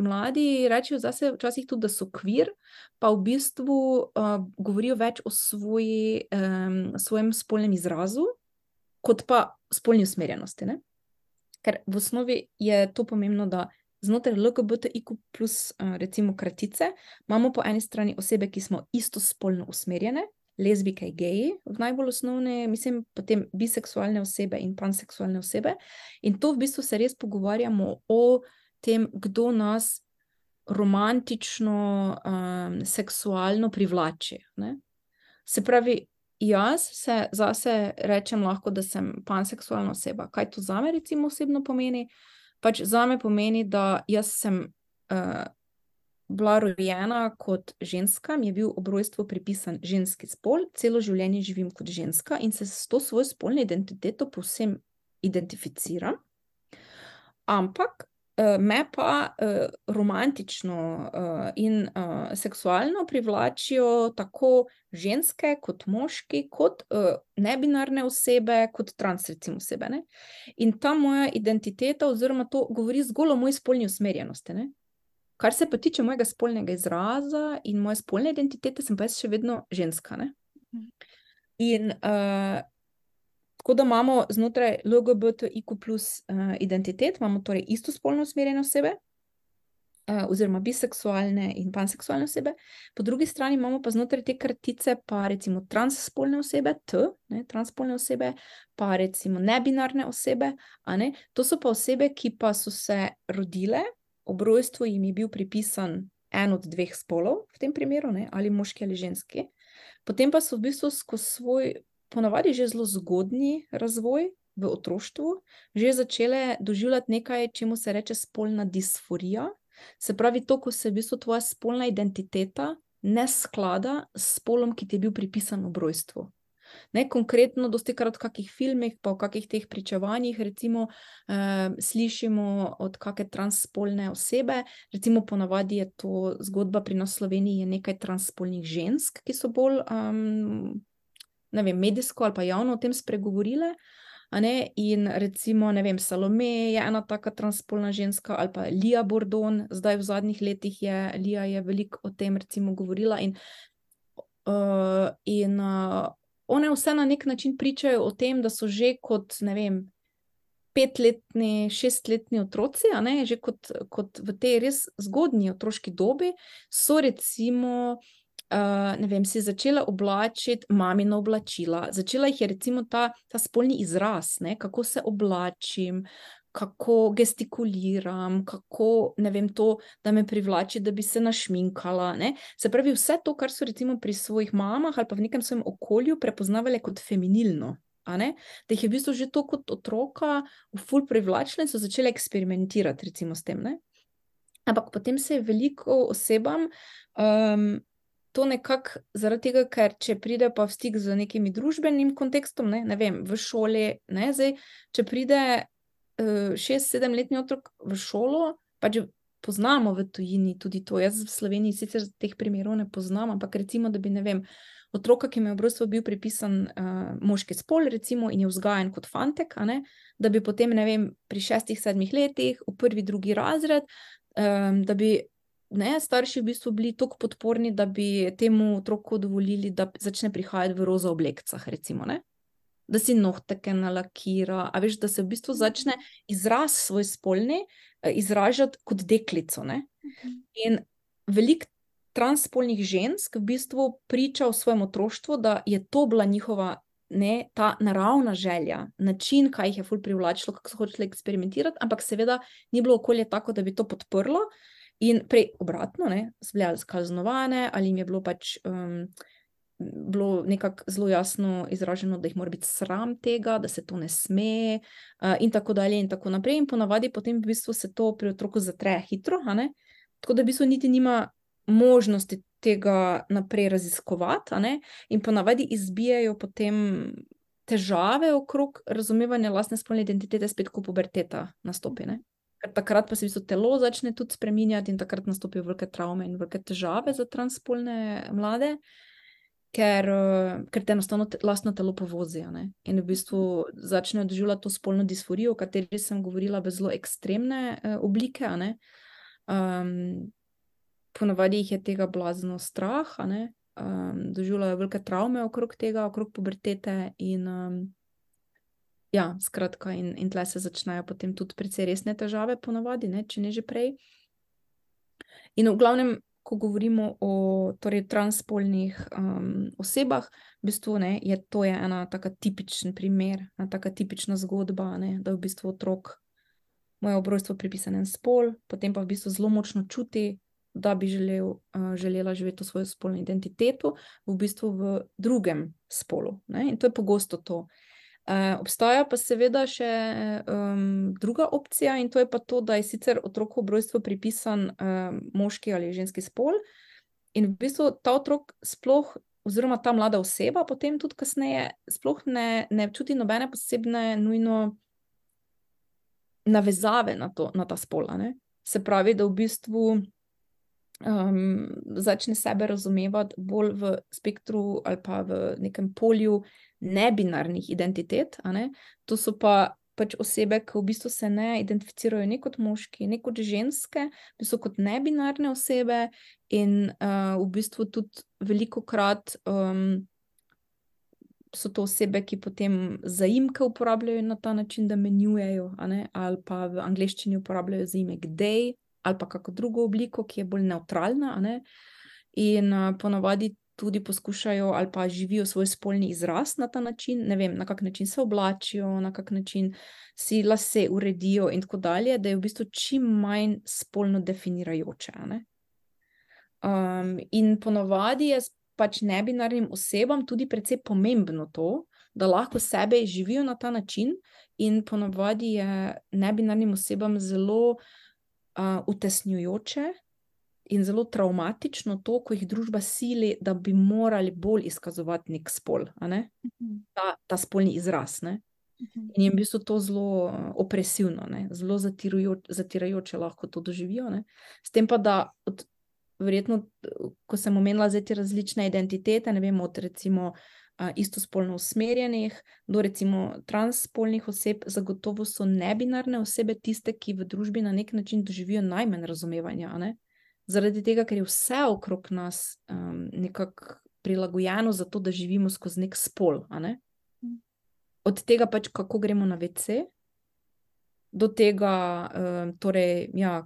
mladi, rečejo zase včasih tudi, da so queer, pa v bistvu govorijo več o svojem spolnem izrazu, kot pa spolni usmerjenosti, ne? Ker v osnovi je to pomembno, da znotraj LGBTIQ+, recimo kratice, imamo po eni strani osebe, ki smo istospolno usmerjene, lezbijke, geji, v najbolj osnovne, mislim, potem biseksualne osebe in panseksualne osebe, in to v bistvu se res pogovarjamo o tem, kdo nas romantično, seksualno privlači, ne? Se pravi, jaz se zase rečem lahko, da sem panseksualna oseba. Kaj to zame recimo osebno pomeni? Pač zame pomeni, da jaz sem bila rojena kot ženska, mi je bil ob rojstvu pripisan ženski spol, celo življenje živim kot ženska in se s to svojo spolno identiteto povsem identificiram, ampak me pa romantično in seksualno privlačijo tako ženske kot moški, kot nebinarne osebe, kot trans recimo osebe, ne? In ta moja identiteta oziroma to govori zgolj o moji spolni usmerjenosti, ne? Kar se pa tiče mojega spolnega izraza in moje spolne identitete, sem pa jaz še vedno ženska, ne? In tako da imamo znotraj LGBTIQ+ identitet, imamo torej istospolno usmerjene osebe, oziroma biseksualne in panseksualne osebe, po drugi strani imamo pa znotraj te kratice pa recimo transspolne osebe, transspolne osebe, pa recimo nebinarne osebe, a ne, to so pa osebe, ki pa so se rodile, ob rojstvu jim je bil pripisan en od dveh spolov, v tem primeru, ne, ali moški ali ženski, potem pa so v bistvu skozi svoj ponavadi že zelo zgodnji razvoj v otroštvu, že začele doživljati nekaj, čemu se reče spolna disforija, se pravi to, ko se v bistvu tvoja spolna identiteta ne sklada s spolom, ki ti je bil pripisan ob rojstvu. Ne, konkretno, dostikrat v kakih filmih, pa v kakih teh pričevanjih, recimo, slišimo od kake transspolne osebe, recimo ponavadi je to zgodba pri nas v Sloveniji je nekaj transspolnih žensk, ki so bolj ne vem, medijsko ali pa javno o tem spregovorile, a ne, in recimo, ne vem, Salome je ena taka transspolna ženska, ali pa Lija Bordon, zdaj v zadnjih letih Lija je veliko o tem recimo govorila in one vse na nek način pričajo o tem, da so že kot, ne vem, 5-letni, 6-letni otroci, a ne, že kot v tej res zgodnji otroški dobi, so recimo ne vem, si začela oblačiti mamina oblačila, začela jih je recimo ta spolni izraz, ne, kako se oblačim, kako gestikuliram, kako, ne vem, to, da me privlači, da bi se našminkala, ne, se pravi vse to, kar so recimo pri svojih mamah ali pa v nekem svojem okolju prepoznavale kot feminilno, a ne, da jih je v bistvu že to kot otroka ful privlačilo in so začele eksperimentirati recimo s tem, ne. Ampak potem se je veliko osebam to nekako zaradi tega, ker če pride pa v stik z nekimi družbenim kontekstom, ne vem, v šoli, ne, zdaj, če pride 6-7-letni otrok v šolo, pač poznamo v tujini tudi to. Jaz v Sloveniji sicer teh primerov ne poznam, ampak recimo, da bi, ne vem, otroka, ki mu je v rojstvu bil pripisan moški spol, recimo, in je vzgajan kot fantek, a ne, da bi potem, ne vem, pri 6-7 letih, v 1-2 razred, da bi starši v bistvu bili toliko podporni, da bi temu otroku dovolili, da začne prihajati v roza oblekcah, recimo, ne? Da si nohteke nalakira, a veš, da se v bistvu začne izraz svoj spolni izražati kot deklico, ne? In veliko transspolnih žensk v bistvu priča v svojem otroštvu, da je to bila njihova, ne, ta naravna želja, način, kaj jih je ful privlačilo, kako so hoteli eksperimentirati, ampak seveda ni bilo okolje tako, da bi to podprlo. In prej obratno, ne, so bile kaznovane, ali jim je bilo pač bilo nekako zelo jasno izraženo, da jih mora biti sram tega, da se to ne sme, in tako dalje in tako naprej. In ponavadi potem v bistvu se to pri otroku zatre hitro, a ne? Tako da v bistvu niti nima možnosti tega naprej raziskovati, a ne? In ponavadi izbijajo potem težave okrog razumevanja lastne spolne identitete spet, ko puberteta nastopi, ne? Ker takrat pa se v bistvu telo začne tudi spreminjati in takrat nastopijo velike travme in velike težave za transspolne mlade, ker te enostavno lastno telo povozi, ne? In v bistvu začnejo doživljati to spolno disforijo, o kateri sem govorila, v zelo ekstremne oblike, a ne? Ponavadi jih je tega blazno strah, a ne? Doživljajo velike travme okrog tega, okrog pubertete in ja, skratka, in tle se začnejo potem tudi precej resne težave ponavadi, ne, če ne že prej. In v glavnem, ko govorimo o torej transspolnih osebah, v bistvu, ne, to je ena taka tipičen primer, ena taka tipična zgodba, ne, da v bistvu otrok mu je ob rojstvu pripisan en spol, potem pa v bistvu zelo močno čuti, da bi želela živeti to svojo spolno identiteto, v bistvu v drugem spolu, ne, in to je pogosto to. Obstaja pa seveda še druga opcija in to je pa to, da je sicer otroku ob rojstvu pripisan moški ali ženski spol in v bistvu ta otrok sploh, oziroma ta mlada oseba potem tudi kasneje sploh ne čuti nobene posebne nujno navezave na ta spol, ne? Se pravi, da v bistvu začne sebe razumevati bolj v spektru ali pa v nekem polju nebinarnih identitet, a ne? To so pa pač osebe, ki v bistvu se ne identificirajo ne kot moški, ne kot ženske, v bistvu kot nebinarne osebe in v bistvu tudi velikokrat so to osebe, ki potem zaimke uporabljajo na ta način, da menjujejo, a ne? Ali pa v angleščini uporabljajo zaimek they, ali pa kako drugo obliko, ki je bolj nevtralna, a ne? In ponavadi tudi poskušajo ali pa živijo svoj spolni izraz na ta način, ne vem, na kak način se oblačijo, na kak način si lase uredijo in tako dalje, da je v bistvu čim manj spolno definirajoče, a ne? In ponavadi je pač nebinarnim osebam tudi precej pomembno to, da lahko sebe živijo na ta način in ponavadi je nebinarnim osebam zelo utesnjujoče in zelo travmatično to, ko jih družba sili, da bi morali bolj izkazovati nek spol, a ne? Ta spolni izraz, ne? In je v bistvu to zelo opresivno, ne? Zelo zatirajoče lahko to doživijo, ne? S tem pa, da verjetno, ko sem omenila zdaj te različne identitete, ne vem, od recimo istospolno usmerjenih do recimo transspolnih oseb, zagotovo so nebinarne osebe tiste, ki v družbi na nek način doživijo najmanj razumevanja, a ne? Zaradi tega, ker je vse okrog nas nekako prilagojeno za to, da živimo skozi nek spol, a ne? Od tega pač, kako gremo na WC, do tega, torej, ja,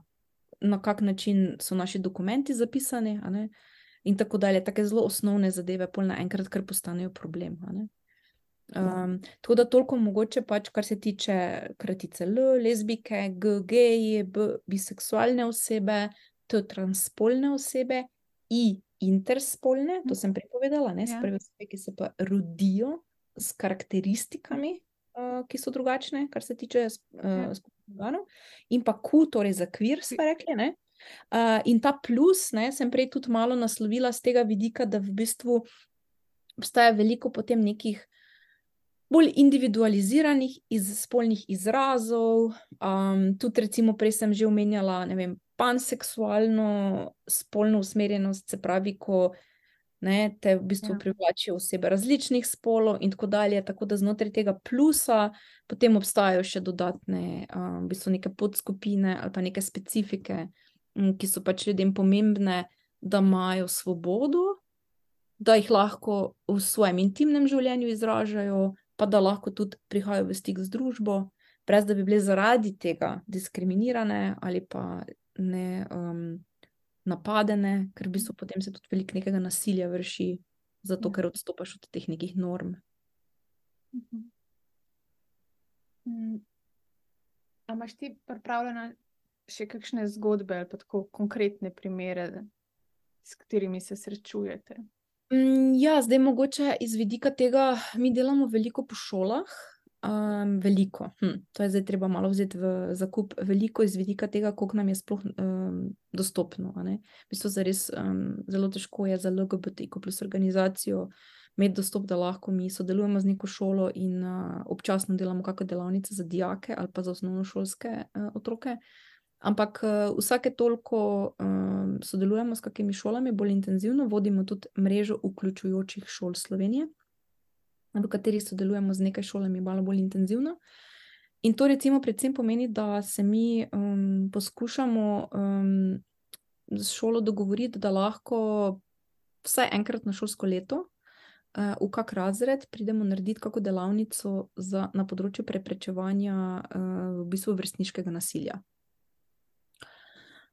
na kak način so naši dokumenti zapisani, a ne? In tako dalje, take zelo osnovne zadeve, pol naenkrat kar postanejo problem, a ne? Tako da toliko mogoče pač, kar se tiče kratice L, lezbike, G, geji, B, biseksualne osebe, T, transspolne osebe, I, interspolne, to sem prepovedala, ne, se pravi osebe, ki se pa rodijo s karakteristikami, ki so drugačne, kar se tiče spolnih organov, in pa Q, torej za queer, smo rekli, ne, In ta plus, ne, sem prej tudi malo naslovila z tega vidika, da v bistvu obstaja veliko potem nekih bolj individualiziranih spolnih izrazov. Tudi recimo prej sem že omenjala, ne vem, panseksualno spolno usmerjenost, se pravi, ko ne, te v bistvu privlačijo osebe različnih spolov in tako dalje, tako da znotraj tega plusa potem obstajajo še dodatne v bistvu neke podskupine ali pa neke specifike, ki so pač ljudem pomembne, da imajo svobodo, da jih lahko v svojem intimnem življenju izražajo, pa da lahko tudi prihajajo v stik z družbo, brez da bi bile zaradi tega diskriminirane ali pa ne napadene, ker v bistvu potem se tudi veliko nekega nasilja vrši, zato ker odstopaš od teh nekih norm. A imaš ti pripravljena še kakšne zgodbe ali pa tako konkretne primere, s katerimi se srečujete? Ja, zdaj mogoče iz vidika tega, mi delamo veliko po šolah, veliko, to je zdaj treba malo vzeti v zakup, veliko iz vidika tega, koliko nam je sploh dostopno, a ne. V bistvu zares zelo težko je za LGBTQ plus organizacijo imeti dostop, da lahko mi sodelujemo z neko šolo in občasno delamo kakšne delavnice za dijake ali pa za osnovnošolske otroke. Ampak vsake toliko sodelujemo s kakimi šolami bolj intenzivno, vodimo tudi mrežo vključujočih šol Slovenije, v kateri sodelujemo z nekaj šolami malo bolj intenzivno. In to recimo predvsem pomeni, da se mi poskušamo z šolo dogovoriti, da lahko vsaj enkrat na šolsko leto v kak razred pridemo narediti kako delavnico na področju preprečevanja v bistvu vrstniškega nasilja.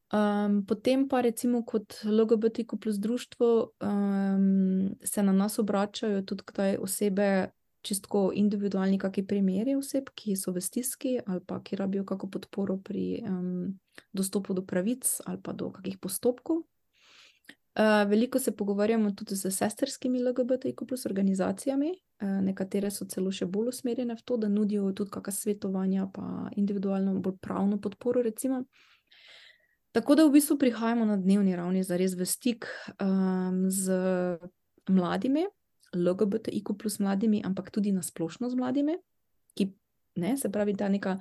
Potem pa recimo kot LGBTQ plus društvo se na nas obračajo tudi kdaj osebe, čistko individualni kaki primeri oseb, ki so v stiski ali pa ki rabijo kako podporo pri dostopu do pravic ali pa do kakih postopkov. Veliko se pogovarjamo tudi s sestrskimi LGBTQ plus organizacijami, nekatere so celo še bolj usmerjene v to, da nudijo tudi kakšna svetovanja pa individualno bolj pravno podporo recimo. Tako da v bistvu prihajamo na dnevni ravni zares v stik z mladimi, LGBTIQ plus mladimi, ampak tudi na splošno z mladimi, ki, ne, se pravi ta neka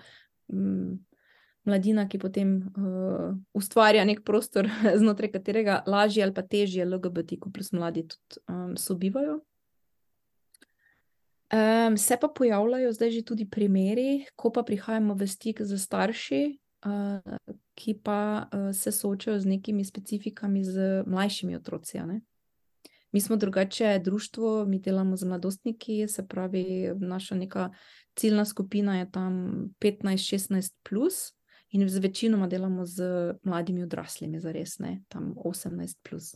mladina, ki potem ustvarja nek prostor, znotraj katerega lažje ali pa težje LGBTIQ plus mladi tudi sobivajo. Se pa pojavljajo zdaj že tudi primeri, ko pa prihajamo v stik z starši, ki pa se soočajo z nekimi specifikami z mlajšimi otroci, a ne. Mi smo drugače društvo, mi delamo z mladostniki, se pravi, naša neka ciljna skupina je tam 15-16 plus in z večinoma delamo z mladimi odraslimi zares, ne, tam 18 plus.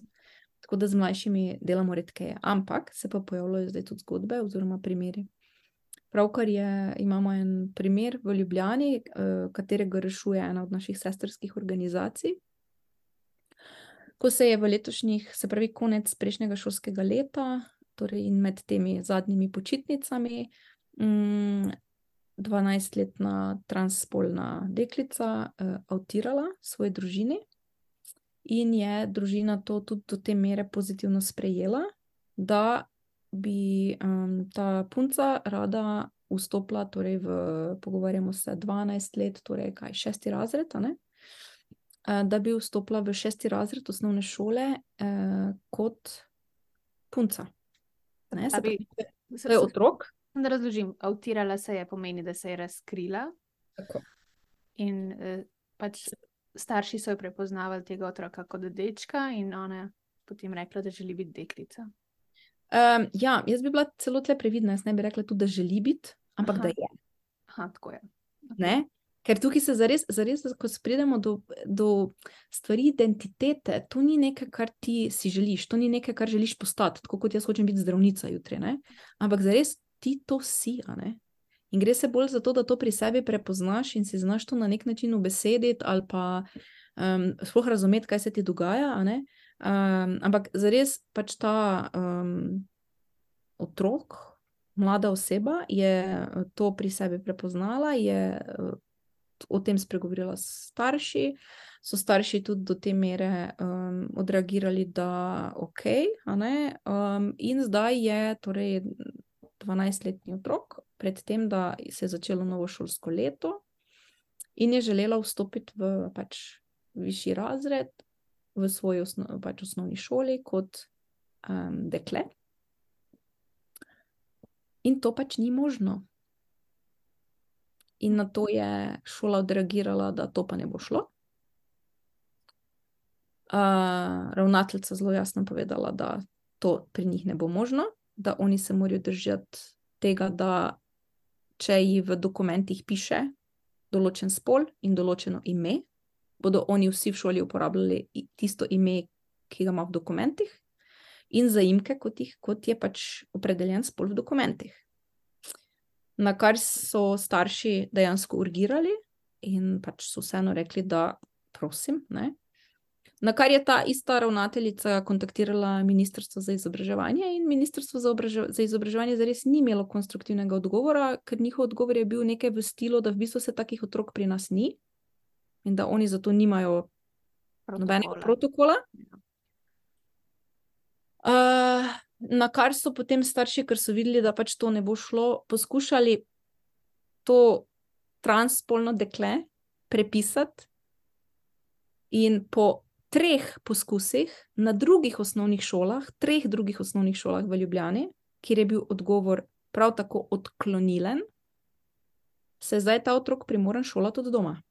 Tako da z mlajšimi delamo redkeje, ampak se pa pojavljajo zdaj tudi zgodbe oziroma primeri. Pravkar imamo en primer v Ljubljani, katerega rešuje ena od naših sestrskih organizacij. Ko se je v letošnjih, se pravi konec prejšnjega šolskega leta, torej in med temi zadnjimi počitnicami, 12-letna transspolna deklica avtirala svoji družini in je družina to tudi do te mere pozitivno sprejela, da bi ta punca rada vstopila, torej pogovarjamo se 12 let, torej 6. razred, a ne? Da bi vstopila v 6. razred osnovne šole kot punca. Ne, se pravi, to je otrok. Da razložim, avtirala se je pomeni, da se je razkrila. Tako. In pač starši so jo prepoznavali tega otroka kot dečka in ona je potem rekla, da želi biti deklica. Ja, jaz bi bila celo tle previdna, jaz ne bi rekla tudi, da želi biti, ampak da je. Tako je. Ne? Ker tukaj se zares, ko pridemo do stvari identitete, to ni nekaj, kar ti si želiš, to ni nekaj, kar želiš postati, tako kot jaz hočem biti zdravnica jutri, ne? Ampak zares ti to si, a ne? In gre se bolj za to, da to pri sebi prepoznaš in si znaš to na nek način ubesediti ali pa sploh razumeti, kaj se ti dogaja, a ne? Ampak zares pač ta otrok, mlada oseba je to pri sebi prepoznala, je o tem spregovorila s starši, so starši tudi do te mere odreagirali, da ok, a ne, in zdaj je torej 12-letni otrok, predtem, da se je začelo novo šolsko leto in je želela vstopiti v pač višji razred v svoji pač osnovni šoli kot dekle. In to pač ni možno. In na to je šola odreagirala, da to pa ne bo šlo. Ravnateljica zelo jasno povedala, da to pri njih ne bo možno, da oni se morajo držati tega, da če ji v dokumentih piše določen spol in določeno ime, bodo oni vsi v šoli uporabljali tisto ime, ki ga ima v dokumentih, in zaimke, kot je pač opredeljen spol v dokumentih. Na kar so starši dejansko urgirali in pač so vseeno rekli, da prosim, ne. Na kar je ta ista ravnateljica kontaktirala Ministrstvo za izobraževanje in Ministrstvo za izobraževanje zares ni imelo konstruktivnega odgovora, ker njihov odgovor je bil nekaj v stilu, da v bistvu se takih otrok pri nas ni in da oni zato nimajo nobenega protokola. Na kar so potem starši, ker so videli, da pač to ne bo šlo, poskušali to transspolno dekle prepisati in po 3 poskusih na 3 drugih osnovnih šolah v Ljubljani, kjer je bil odgovor prav tako odklonilen, se je zdaj ta otrok primoran šolati od doma.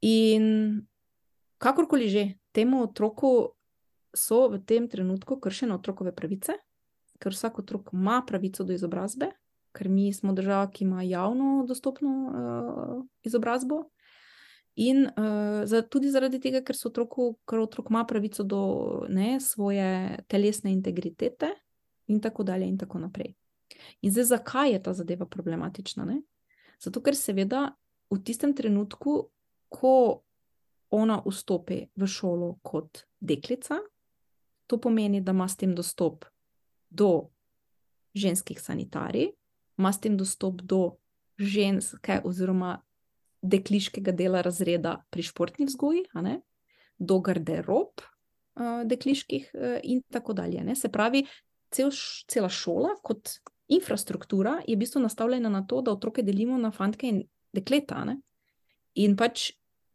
In kakorkoli že, temu otroku so v tem trenutku kršene otrokove pravice, ker vsak otrok ima pravico do izobrazbe, ker mi smo država, ki ima javno dostopno izobrazbo, in tudi zaradi tega, ker otrok ima pravico do svoje telesne integritete in tako dalje in tako naprej. In zdaj, zakaj je ta zadeva problematična, ne? Zato, ker seveda v tistem trenutku, ko ona vstopi v šolo kot deklica, to pomeni, da ima s tem dostop do ženskih sanitarij, ima s tem dostop do ženske oziroma dekliškega dela razreda pri športni vzgoji, a ne, do garderob dekliških in tako dalje, ne. Se pravi, cela šola kot infrastruktura je v bistvu nastavljena na to, da otroke delimo na fantke in dekleta, ne. In pač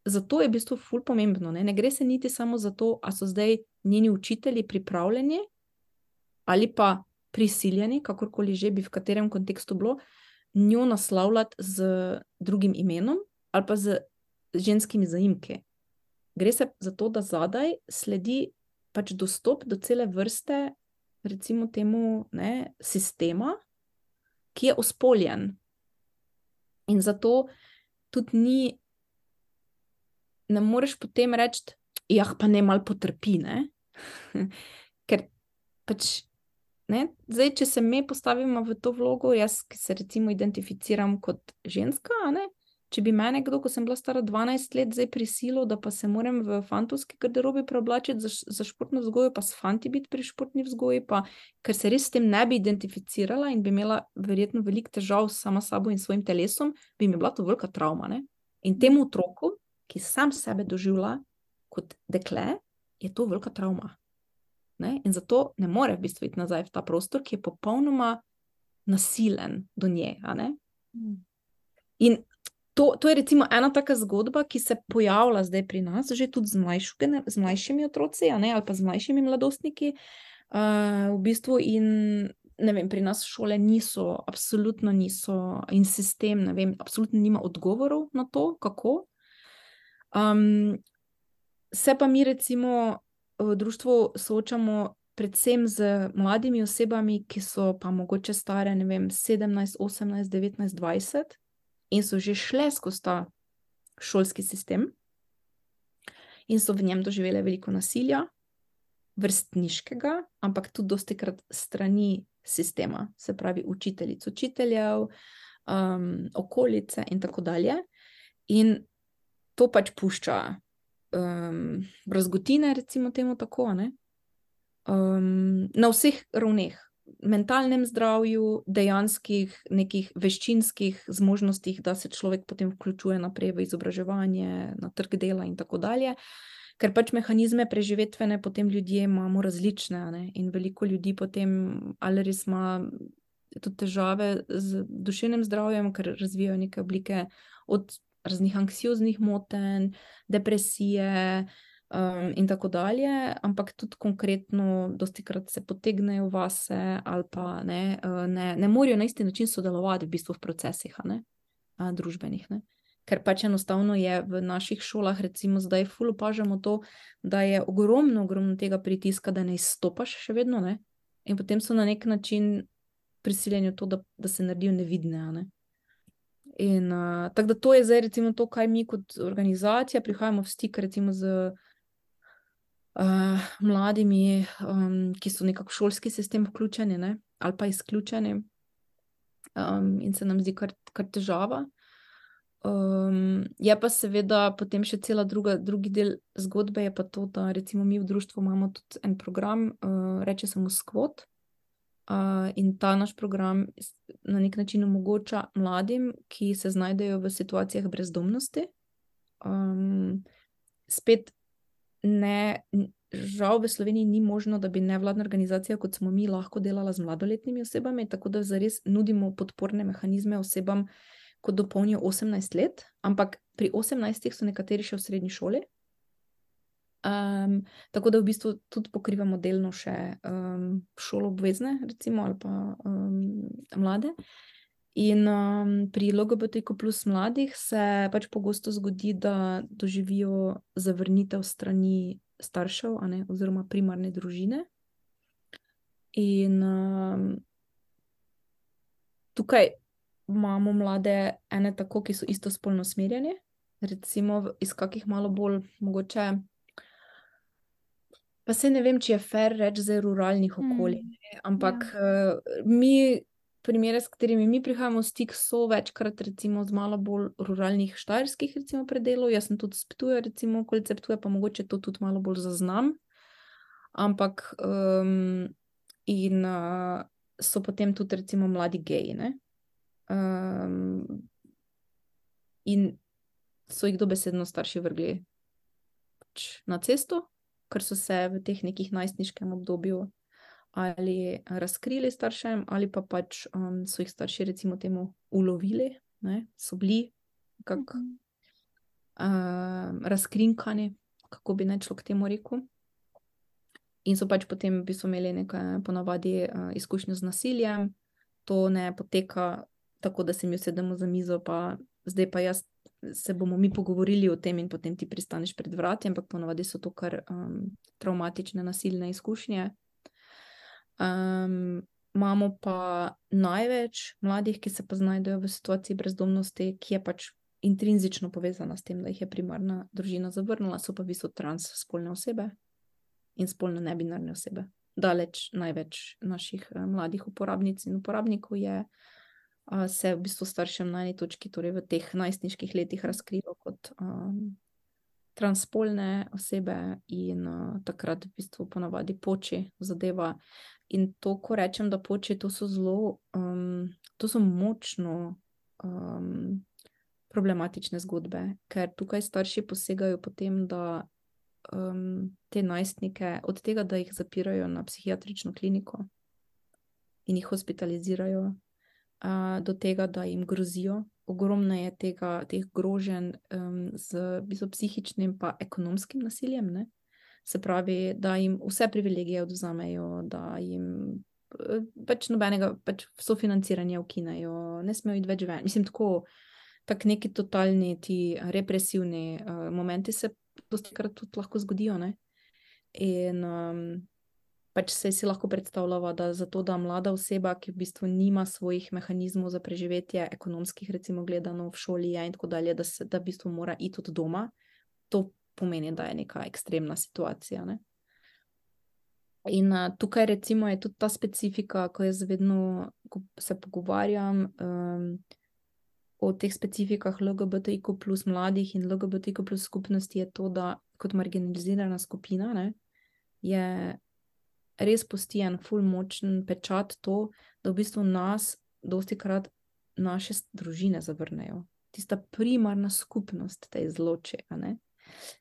zato je v bistvu ful pomembno, ne gre se niti samo za to, a so zdaj njeni učitelji pripravljeni ali pa prisiljeni, kakorkoli že bi v katerem kontekstu bilo, njo naslavljati z drugim imenom ali pa z ženskimi zaimki. Gre se za to, da zadaj sledi pač dostop do cele vrste, recimo temu, ne, sistema, ki je ospoljen. In zato tudi ne moreš potem reči, jah, pa ne malo potrpi, ne. Ker pač, ne, zdaj, če se me postavimo v to vlogo, jaz, ki se recimo identificiram kot ženska, a ne, če bi mene kdo, ko sem bila stara 12 let, zdaj prisilil, da pa se moram v fantovski garderobi preoblačiti za športno vzgojo, pa s fanti biti pri športni vzgoji, pa ker se res s tem ne bi identificirala in bi imela verjetno veliko težav sama s sabo in svojim telesom, bi mi bila to velika travma, ne. In temu otroku, ki sam sebe doživlja kot dekle, je to velika travma. Ne? In zato ne more v bistvu iti nazaj v ta prostor, ki je popolnoma nasilen do nje. A ne? In to je recimo ena taka zgodba, ki se pojavlja zdaj pri nas, že tudi z mlajšimi otroci, a ne? Ali pa z mlajšimi mladostniki. V bistvu in ne vem, pri nas šole absolutno niso, in sistem, ne vem, absolutno nima odgovorov na to, kako. Se pa mi recimo v društvu soočamo predvsem z mladimi osebami, ki so pa mogoče stare, ne vem, 17, 18, 19, 20 in so že šle skozi ta šolski sistem in so v njem doživele veliko nasilja, vrstniškega, ampak tudi dostikrat strani sistema, se pravi učiteljic, učiteljev, okolice in tako dalje. In to pač pušča brazgotine, recimo temu tako, ne? Na vseh ravneh, mentalnem zdravju, dejanskih nekih veščinskih zmožnostih, da se človek potem vključuje naprej v izobraževanje, na trg dela in tako dalje. Ker pač mehanizme preživetvene potem ljudje imamo različne, ne? In veliko ljudi potem ali res ima tudi težave z duševnim zdravjem, ker razvijajo neke oblike od raznih anksioznih motenj, depresije, in tako dalje, ampak tudi konkretno dostikrat se potegnejo vase ali pa ne morajo na isti način sodelovati v bistvu v procesih, družbenih, ne. Ker pač enostavno je v naših šolah, recimo zdaj ful opažamo to, da je ogromno tega pritiska, da ne izstopaš še vedno, ne. In potem so na nek način prisiljeni v to, da se naredijo nevidne, ne. In tako da to je zdaj recimo to, kaj mi kot organizacija prihajamo v stik recimo z mladimi, ki so nekako v šolski sistem vključeni, ne, ali pa izključeni. In se nam zdi kar težava. Je pa seveda potem še drugi del zgodbe je pa to, da recimo mi v društvu imamo tudi en program, reče se mu Skvot. In ta naš program na nek način omogoča mladim, ki se znajdejo v situacijah brezdomnosti. Spet ne, žal v Sloveniji ni možno, da bi nevladna organizacija, kot smo mi, lahko delala z mladoletnimi osebami, tako da zares nudimo podporne mehanizme osebam, ko dopolnijo 18 let, ampak pri 18 so nekateri še v srednji šoli. Tako da v bistvu tudi pokrivamo delno še šoloobvezne, recimo, ali pa mlade. In pri LGBTQ plus mladih se pač pogosto zgodi, da doživijo zavrnitev strani staršev, oziroma primarne družine. In tukaj imamo mlade ene tako, ki so istospolno usmerjeni, recimo iz kakih malo bolj mogoče, pa saj ne vem, če je fair reči za ruralnih okolij, ampak mi primere, s katerimi mi prihajamo v stik, so večkrat recimo z malo bolj ruralnih štajerskih recimo predelov. Jaz sem tudi s Ptuja, recimo okolice Ptuja, pa mogoče to tudi malo bolj zaznam. Ampak in so potem tudi recimo mladi geji, ne. In so jih dobesedno starši vrgli pač na cesto, ker so se v teh nekih najstniškem obdobju ali razkrili staršem, ali pa pač so jih starši recimo temu ulovili, ne, so bili nekako razkrinkani, kako bi naj človek temu rekel. In so pač potem v bistvu imeli nekaj ponavadi izkušnje z nasiljem. To ne poteka tako, da se mi usedemo za mizo, pa zdaj pa se bomo mi pogovorili o tem in potem ti pristaneš pred vrati, ampak ponavadi so to kar travmatične, nasilne izkušnje. Imamo pa največ mladih, ki se pa znajdejo v situaciji brezdomnosti, ki je pač intrinzično povezana s tem, da jih je primarna družina zavrnila, so pa v bistvu transspolne osebe in spolno nebinarne osebe. Daleč največ naših mladih uporabnic in uporabnikov se v bistvu staršem na eni točki, torej v teh najstniških letih razkrilo kot transspolne osebe in takrat v bistvu ponavadi poči zadeva. In to, ko rečem, da poči, to so močno problematične zgodbe, ker tukaj starši posegajo potem, da te najstnike, od tega, da jih zapirajo na psihiatrično kliniko in jih hospitalizirajo, do tega, da jim grozijo. Ogromno je teh groženj z psihičnim pa ekonomskim nasiljem, ne. Se pravi, da jim vse privilegije odvzamejo, da jim pač nobenega sofinanciranja ukinejo, ne smejo iti več ven. Mislim, tako neki totalni ti represivni momenti se dostikrat tudi lahko zgodijo, ne. In pač si lahko predstavljava, da zato, da mlada oseba, ki v bistvu nima svojih mehanizmov za preživetje, ekonomskih recimo gledano, v šoli je in tako dalje, da v bistvu mora iti od doma, to pomeni, da je neka ekstremna situacija, ne. In tukaj recimo je tudi ta specifika, ko jaz vedno, ko se pogovarjam o teh specifikah LGBTIQ plus mladih in LGBTIQ plus skupnosti, je to, da kot marginalizirana skupina, ne, je res pusti en ful močen pečat to, da v bistvu nas dostikrat naše družine zavrnejo. Tista primarna skupnost te izloči, a ne?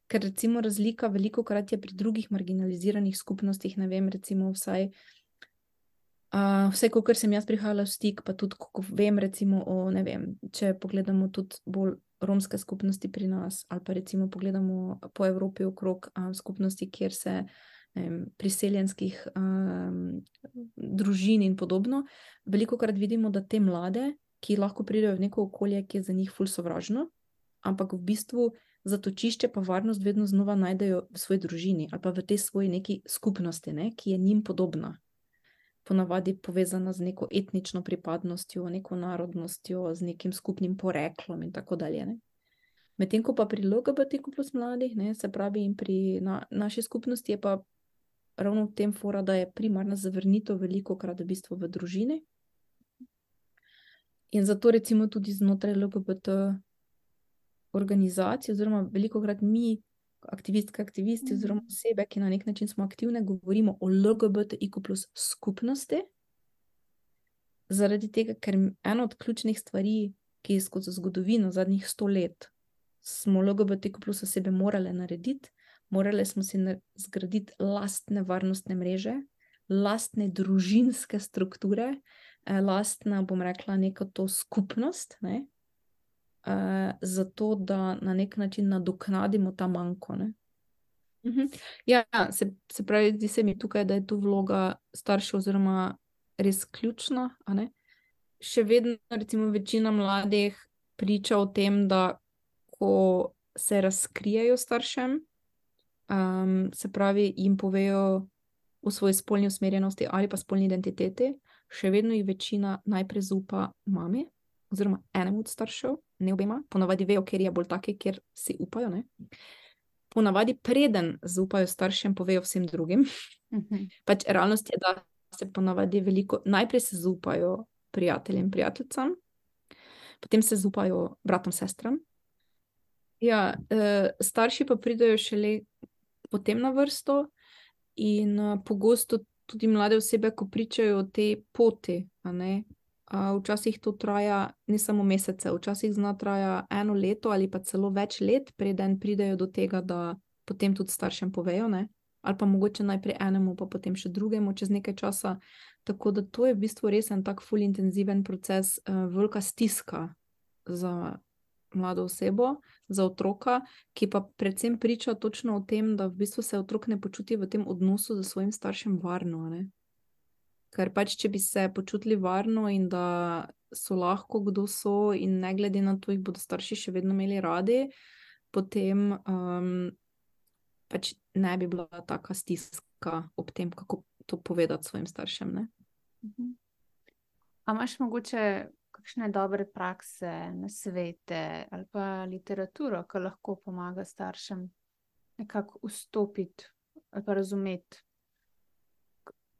Ker recimo razlika velikokrat je pri drugih marginaliziranih skupnostih, ne vem, recimo vsaj kolikor sem jaz prihajala v stik, pa tudi, ko vem recimo o, ne vem, če pogledamo tudi bolj romske skupnosti pri nas, ali pa recimo pogledamo po Evropi okrog skupnosti, kjer se priseljenskih družin in podobno, velikokrat vidimo, da te mlade, ki lahko pridejo v neko okolje, ki je za njih ful sovražno, ampak v bistvu zatočišče pa varnost vedno znova najdejo v svoji družini ali pa v tej svoji neki skupnosti, ne, ki je njim podobna. Ponavadi povezana z neko etnično pripadnostjo, neko narodnostjo, z nekim skupnim poreklom in tako dalje. Ne. Medtem ko pa pri LGBTQ plus mladih, ne, se pravi in pri naši skupnosti je pa ravno v tem fora, da je primarna zavrnitev velikokrat v bistvu v družini. In zato recimo tudi znotraj LGBT organizacij, oziroma velikokrat mi, aktivisti oziroma osebe, ki na nek način smo aktivne, govorimo o LGBTIQ plus skupnosti, zaradi tega, ker ena od ključnih stvari, ki je skozi zgodovino zadnjih 100 let, smo LGBTIQ plus osebe morale narediti, morale smo si zgraditi lastne varnostne mreže, lastne družinske strukture, lastna, bom rekla, neko to skupnost, ne? Zato, da na nek način nadoknadimo ta manko. Ne? Ja, se pravi, zdi se mi tukaj, da je tu vloga staršev oziroma res ključna. A ne? Še vedno recimo večina mladih priča o tem, da ko se razkrijejo staršem, se pravi, jim povejo o svoji spolni usmerjenosti ali pa spolni identiteti, še vedno jih večina najprej zaupa mami oziroma enemu od staršev, ne obema, ponavadi vejo, ker je bolj take, ker si upajo, ne. Ponavadi preden zaupajo staršem, povejo vsem drugim. Pač realnost je, da se ponavadi veliko, najprej se zaupajo prijateljem, prijateljicam, potem se zaupajo bratom, sestram. Ja, starši pa pridejo šele potem na vrsto in pogosto tudi mlade osebe, ko pričajo o tej poti, a ne, včasih to traja ne samo mesece, včasih zna traja 1 leto ali pa celo več let, preden pridejo do tega, da potem tudi staršem povejo, ne, ali pa mogoče najprej enemu, pa potem še drugemu čez nekaj časa, tako da to je v bistvu res en tak ful intenziven proces, velika stiska za mlado osebo, za otroka, ki pa predvsem priča točno o tem, da v bistvu se otrok ne počuti v tem odnosu z svojim staršem varno, ne. Ker pač, če bi se počutili varno in da so lahko, kdo so, in ne glede na to, jih bodo starši še vedno imeli radi, potem pač ne bi bila taka stiska ob tem, kako to povedati svojim staršem, ne. A imaš mogoče kakšne dobre prakse, nasvete ali pa literaturo, ki lahko pomaga staršem nekako vstopiti ali pa razumeti,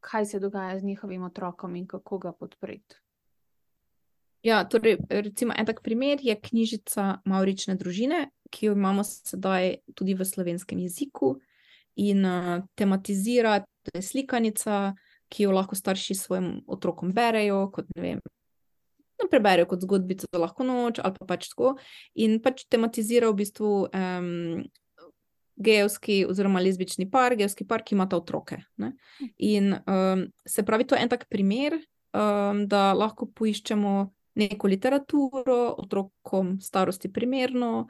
kaj se dogaja z njihovim otrokom in kako ga podpreti? Ja, torej, recimo en tak primer je knjižica Mavrične družine, ki jo imamo sedaj tudi v slovenskem jeziku in tematizira, to je slikanica, ki jo lahko starši svojim otrokom berejo, kot ne vem, preberejo kot zgodbico za lahko noč ali pa pač tako, in pač tematizira v bistvu gejevski oziroma lezbični par, gejevski par, ki imata otroke, ne. In se pravi, to je en tak primer, da lahko poiščemo neko literaturo otrokom starosti primerno,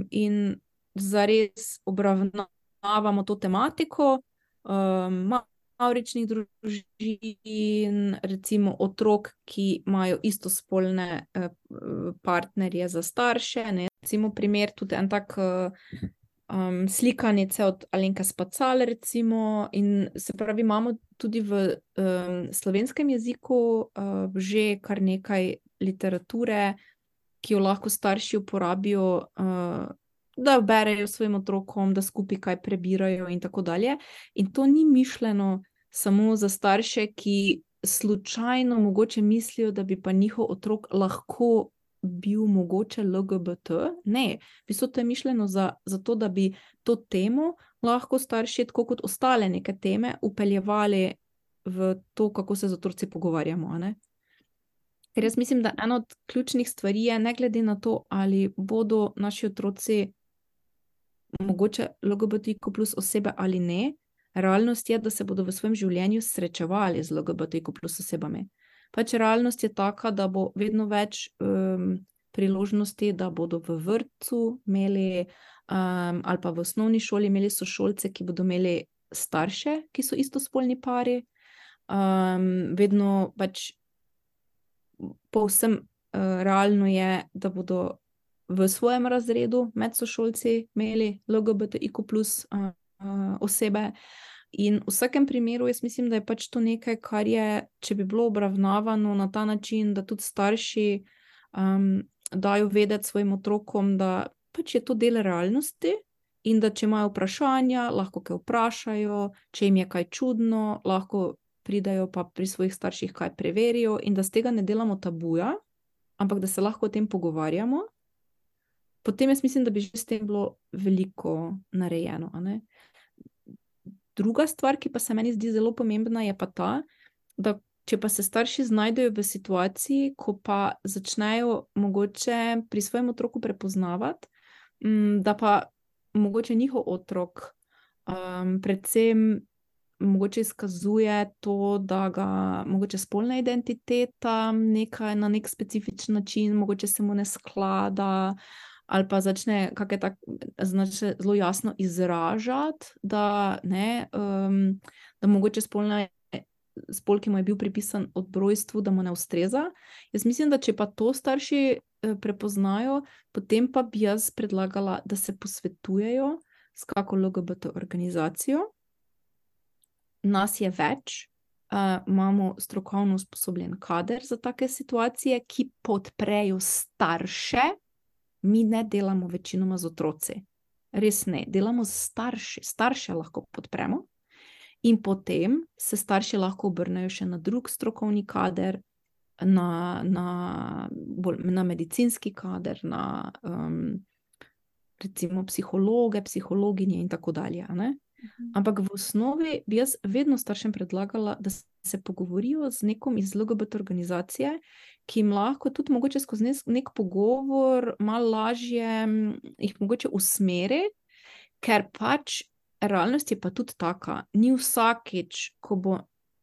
in zares obravnavamo to tematiko, mavričnih družin, recimo otrok, ki imajo istospolne partnerje za starše, ne. Recimo primer, tudi en tak slikanice od Alenke Spacal, recimo, in se pravi, imamo tudi v slovenskem jeziku že kar nekaj literature, ki jo lahko starši uporabijo, da berejo svojim otrokom, da skupaj kaj prebirajo in tako dalje. In to ni mišljeno samo za starše, ki slučajno mogoče mislijo, da bi pa njihov otrok lahko bil mogoče LGBT. Ne, v bistvu to je mišljeno za to, da bi to temo lahko starši, tako kot ostale neke teme, upeljevali v to, kako se z otroci pogovarjamo, a ne? Ker jaz mislim, da ena od ključnih stvari je, ne glede na to, ali bodo naši otroci mogoče LGBTQ plus osebe ali ne, realnost je, da se bodo v svojem življenju srečevali z LGBTQ plus osebami. Pač realnost je taka, da bo vedno več priložnosti, da bodo v vrtcu imeli ali pa v osnovni šoli imeli sošolce, ki bodo imeli starše, ki so istospolni pari. Vedno pač povsem realno je, da bodo v svojem razredu med sošolci imeli LGBTIQ plus osebe. In v vsakem primeru jaz mislim, da je pač to nekaj, kar je, če bi bilo obravnavano na ta način, da tudi starši dajo vedeti svojim otrokom, da pač je to del realnosti in da če imajo vprašanja, lahko kaj vprašajo, če jim je kaj čudno, lahko pridajo pa pri svojih starših kaj preverijo in da z tega ne delamo tabuja, ampak da se lahko o tem pogovarjamo, potem jaz mislim, da bi že s tem bilo veliko narejeno, a ne? Druga stvar, ki pa se meni zdi zelo pomembna, je pa ta, da če pa se starši znajdejo v situaciji, ko pa začnejo mogoče pri svojem otroku prepoznavati, da pa mogoče njihov otrok predvsem mogoče izkazuje to, da ga mogoče spolna identiteta na nek specifičen način, mogoče se mu ne sklada, ali pa začne zelo jasno izražati, da mogoče spol, ki mu je bil pripisan od rojstva, da mu ne ustreza. Jaz mislim, da če pa to starši prepoznajo, potem pa bi jaz predlagala, da se posvetujejo s kako LGBT organizacijo. Nas je več, imamo strokovno usposobljen kader za take situacije, ki podprejo starše. Mi ne delamo večinoma z otroci. Res ne, delamo z starši. Starše lahko podpremo in potem se starši lahko obrnejo še na drug strokovni kader, na medicinski kader, na recimo psihologe, psihologinje in tako dalje, ne? Ampak v osnovi bi jaz vedno staršem predlagala, da se pogovorijo z nekom iz LGBT organizacije, ki jim lahko tudi mogoče skozi nek pogovor malo lažje jih mogoče usmeri, ker pač realnost je pa tudi taka, ni vsakič, ko bo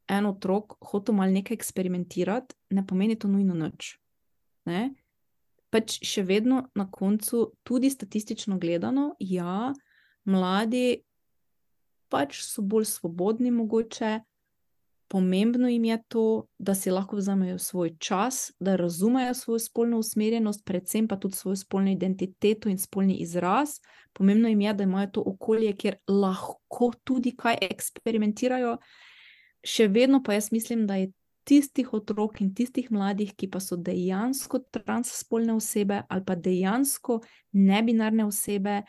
en otrok hotel malo nekaj eksperimentirati, ne pomeni to nujno nič. Ne? Pač še vedno na koncu, tudi statistično gledano, ja, mladi pač so bolj svobodni mogoče, pomembno jim je to, da si lahko vzamejo svoj čas, da razumejo svojo spolno usmerjenost, predvsem pa tudi svojo spolno identiteto in spolni izraz. Pomembno jim je, da imajo to okolje, kjer lahko tudi kaj eksperimentirajo. Še vedno pa jaz mislim, da je tistih otrok in tistih mladih, ki pa so dejansko transspolne osebe ali pa dejansko nebinarne osebe,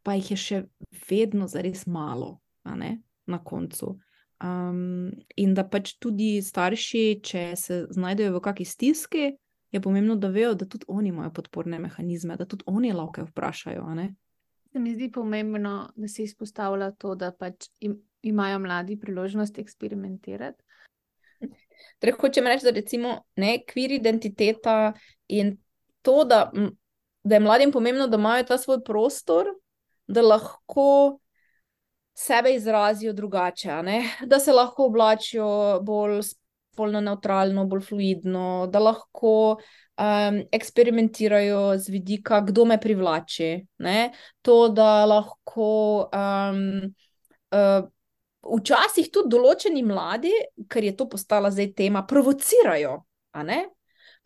pa jih je še vedno zares malo, a ne, na koncu. In da pač tudi starši, če se znajdejo v kakšni stiski, je pomembno, da vejo, da tudi oni imajo podporne mehanizme, da tudi oni lahko vprašajo, a ne. Se mi zdi pomembno, da se izpostavlja to, da pač imajo mladi priložnost eksperimentirati. Torej, hočem reči, da recimo queer identiteta in to, da je mladim pomembno, da imajo ta svoj prostor, da lahko sebe izrazijo drugače, a ne? Da se lahko oblačijo bolj spolno nevtralno, bolj fluidno, da lahko eksperimentirajo z vidika, kdo me privlači, ne? To, da lahko včasih tudi določeni mladi, ker je to postala zdaj tema, provocirajo, a ne?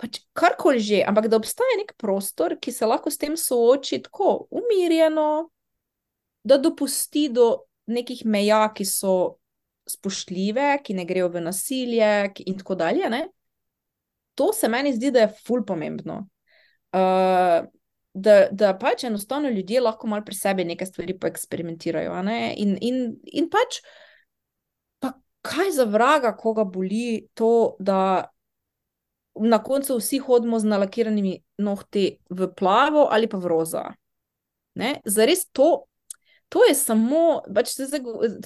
Pač karkoli že, ampak da obstaja nek prostor, ki se lahko s tem sooči tako umirjeno, da dopusti do nekih meja, ki so spoštljive, ki ne grejo v nasilje in tako dalje, ne? To se meni zdi, da je ful pomembno. Da pač enostavno ljudje lahko malo pri sebi neke stvari poeksperimentirajo, a ne? In pač, pa kaj za vraga, koga boli to, da na koncu vsi hodimo z nalakiranimi nohti v plavo ali pa v roza. Ne? Zares to, to je samo, pač to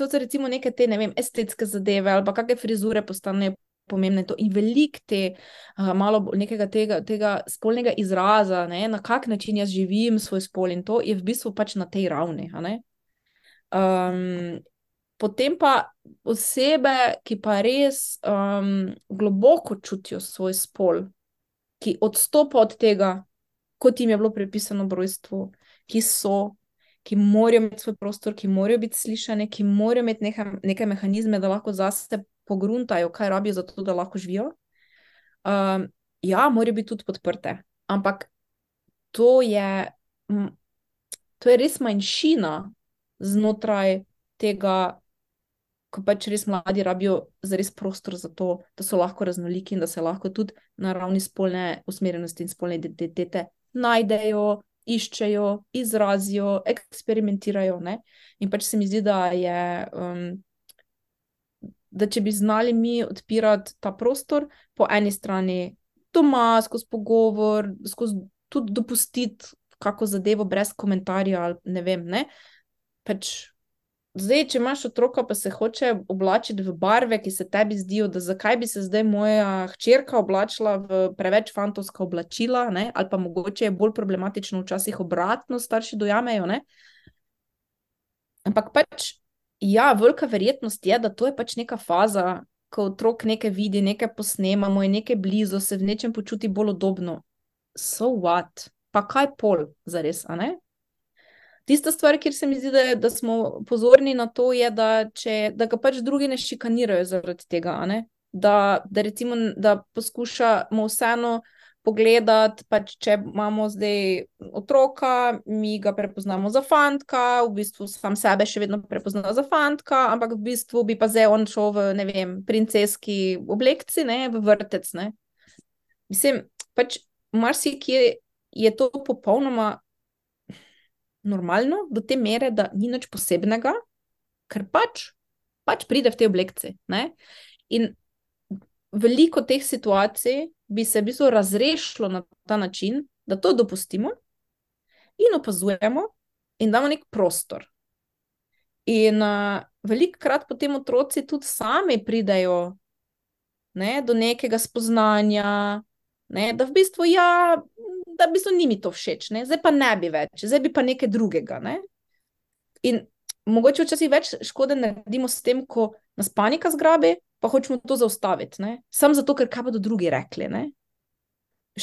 so recimo neke te, ne vem, estetske zadeve ali pa kakšne frizure postanejo pomembne to in veliko te malo nekega tega spolnega izraza, ne, na kak način jaz živim svoj spol in to je v bistvu pač na tej ravni, a ne. Potem pa osebe, ki pa res globoko čutijo svoj spol, ki odstopa od tega, kot jim je bilo prepisano v rojstvu, ki morajo imeti svoj prostor, ki morajo biti slišane, ki morajo imeti neke mehanizme, da lahko zase pogruntajo, kaj rabijo za to, da lahko živijo. Ja, morajo biti tudi podprte, ampak to je res manjšina znotraj tega, ko pač res mladi rabijo zares prostor za to, da so lahko raznoliki in da se lahko tudi na ravni spolne usmerjenosti in spolne identitete najdejo, iščejo, izrazijo, eksperimentirajo, ne. In pač se mi zdi, da je, da če bi znali mi odpirati ta prostor, po eni strani doma, skozi pogovor, skozi tudi dopustiti kako zadevo brez komentarja, ali ne vem, ne. Pač zdaj, če imaš otroka, pa se hoče oblačiti v barve, ki se tebi zdijo, da zakaj bi se zdaj moja hčerka oblačila v preveč fantovska oblačila, ne, ali pa mogoče je bolj problematično včasih obratno, starši dojamejo, ne. Ampak pač, ja, velika verjetnost je, da to je pač neka faza, ko otrok nekaj vidi, nekaj posnemamo in nekaj blizu, se v nečem počuti bolj udobno. So what? Pa kaj pol, zares, a ne? Tista stvar, kjer se mi zdi, da smo pozorni na to, je, da ga pač drugi ne šikanirajo zaradi tega, a ne? Da recimo, da poskušamo vseeno pogledati, pač če imamo zdaj otroka, mi ga prepoznamo za fantka, v bistvu sam sebe še vedno prepozna za fantka, ampak v bistvu bi pa zdaj on šel v, ne vem, princeski oblekci, ne, v vrtec, ne. Mislim, pač marsikje je to popolnoma normalno, do te mere, da ni nič posebnega, ker pač pride v te oblekci, ne. In veliko teh situacij bi se v bistvu razrešilo na ta način, da to dopustimo in opazujemo in damo nek prostor. In velikokrat potem otroci tudi sami pridejo, ne, do nekega spoznanja, ne, da v bistvu da v bistvu ni mi to všeč, ne, zdaj pa ne bi več, zdaj bi pa nekaj drugega, ne. In mogoče včasih več škode naredimo s tem, ko nas panika zgrabi, pa hočemo to zaustaviti, ne, samo zato, ker kaj bodo drugi rekli, ne.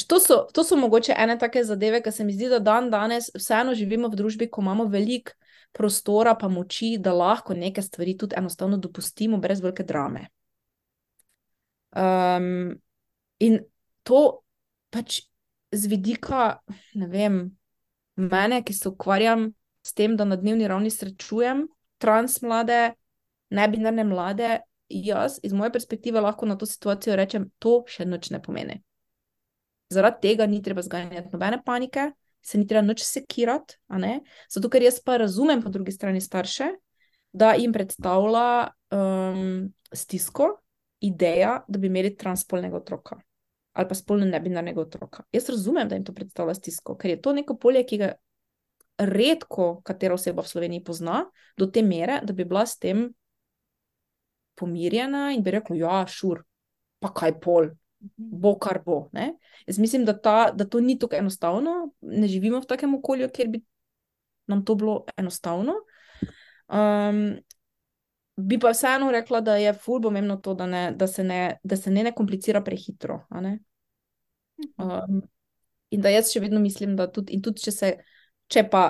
To so mogoče ene take zadeve, ki se mi zdi, da danes vseeno živimo v družbi, ko imamo veliko prostora pa moči, da lahko neke stvari tudi enostavno dopustimo brez velike drame. In to pač z vidika, ne vem, mene, ki se ukvarjam s tem, da na dnevni ravni srečujem trans mlade, nebinarne mlade, jaz iz moje perspektive lahko na to situacijo rečem, to še nič ne pomeni. Zaradi tega ni treba zganjati nobene panike, se ni treba nič sekirati, a ne, zato ker jaz pa razumem po drugi strani starše, da jim predstavlja stisko, ideja, da bi imeli transspolnega otroka ali pa spolno nebinarnega otroka. Jaz razumem, da jim to predstavlja stisko, ker je to neko polje, ki ga redko katera oseba v Sloveniji pozna, do te mere, da bi bila s tem pomirjena in bi rekla, ja, šur, pa kaj pol, bo kar bo, ne. Jaz mislim, da to ni tako enostavno, ne živimo v takem okolju, kjer bi nam to bilo enostavno. Bi pa vseeno rekla, da je ful pomembno to, da se ne komplicira prehitro, a ne. In da jaz še vedno mislim, da tudi če pa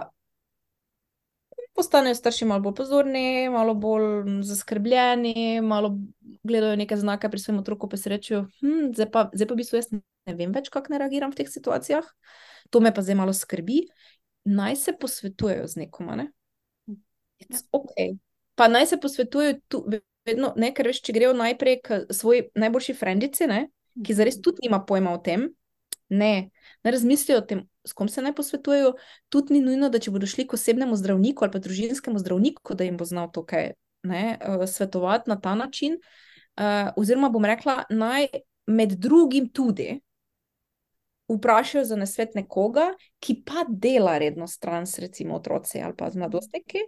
postanejo starši malo bolj pozorni, malo bolj zaskrbljeni, malo gledajo neke znake pri svojem otroku, pa se rečejo, zdaj pa v bistvu jaz ne vem več, kako ne reagiram v teh situacijah, to me pa zdaj malo skrbi, naj se posvetujejo z nekom, a ne. It's okay. Pa naj se posvetujejo tu, vedno, ne, ker veš, če grejo najprej k svoji najboljši frendici, ne, ki zares tudi nima pojma o tem, ne razmislijo o tem, s kom se naj posvetujejo, tudi ni nujno, da če bodo šli k osebnemu zdravniku ali pa družinskemu zdravniku, da jim bo znal to kaj, ne, svetovati na ta način, oziroma bom rekla, naj med drugim tudi vprašajo za nasvet nekoga, ki pa dela redno s trans, recimo otroci ali pa z mladostniki,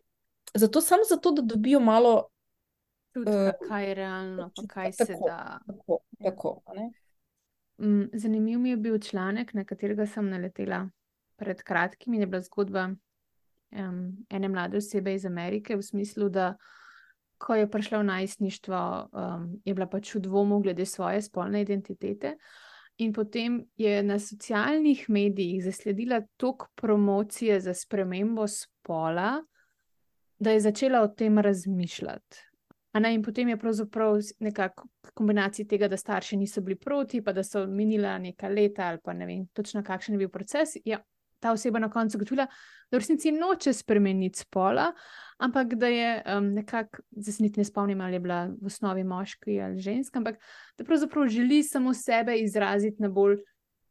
Samo zato, da dobijo malo Tudi, kaj je realno, pa kaj se tako, da. tako, a ne? Zanimiv mi je bil članek, na katerega sem naletela pred kratkim, in je bila zgodba ene mlade osebe iz Amerike, v smislu, da ko je prišla v najstništvo, je bila pač v dvomu glede svoje spolne identitete. In potem je na socialnih medijih zasledila toliko promocije za spremembo spola, da je začela o tem razmišljati. In potem je pravzaprav nekako kombinacija tega, da starši niso bili proti, pa da so minila neka leta, ali pa ne vem točno, kakšen je bil proces. Ja, ta oseba na koncu ugotovila, da v resnici noče spremeniti spola, ampak da je nekako, zdaj se niti ne spomnim, ali je bila v osnovi moški ali ženska, ampak da pravzaprav želi samo sebe izraziti na bolj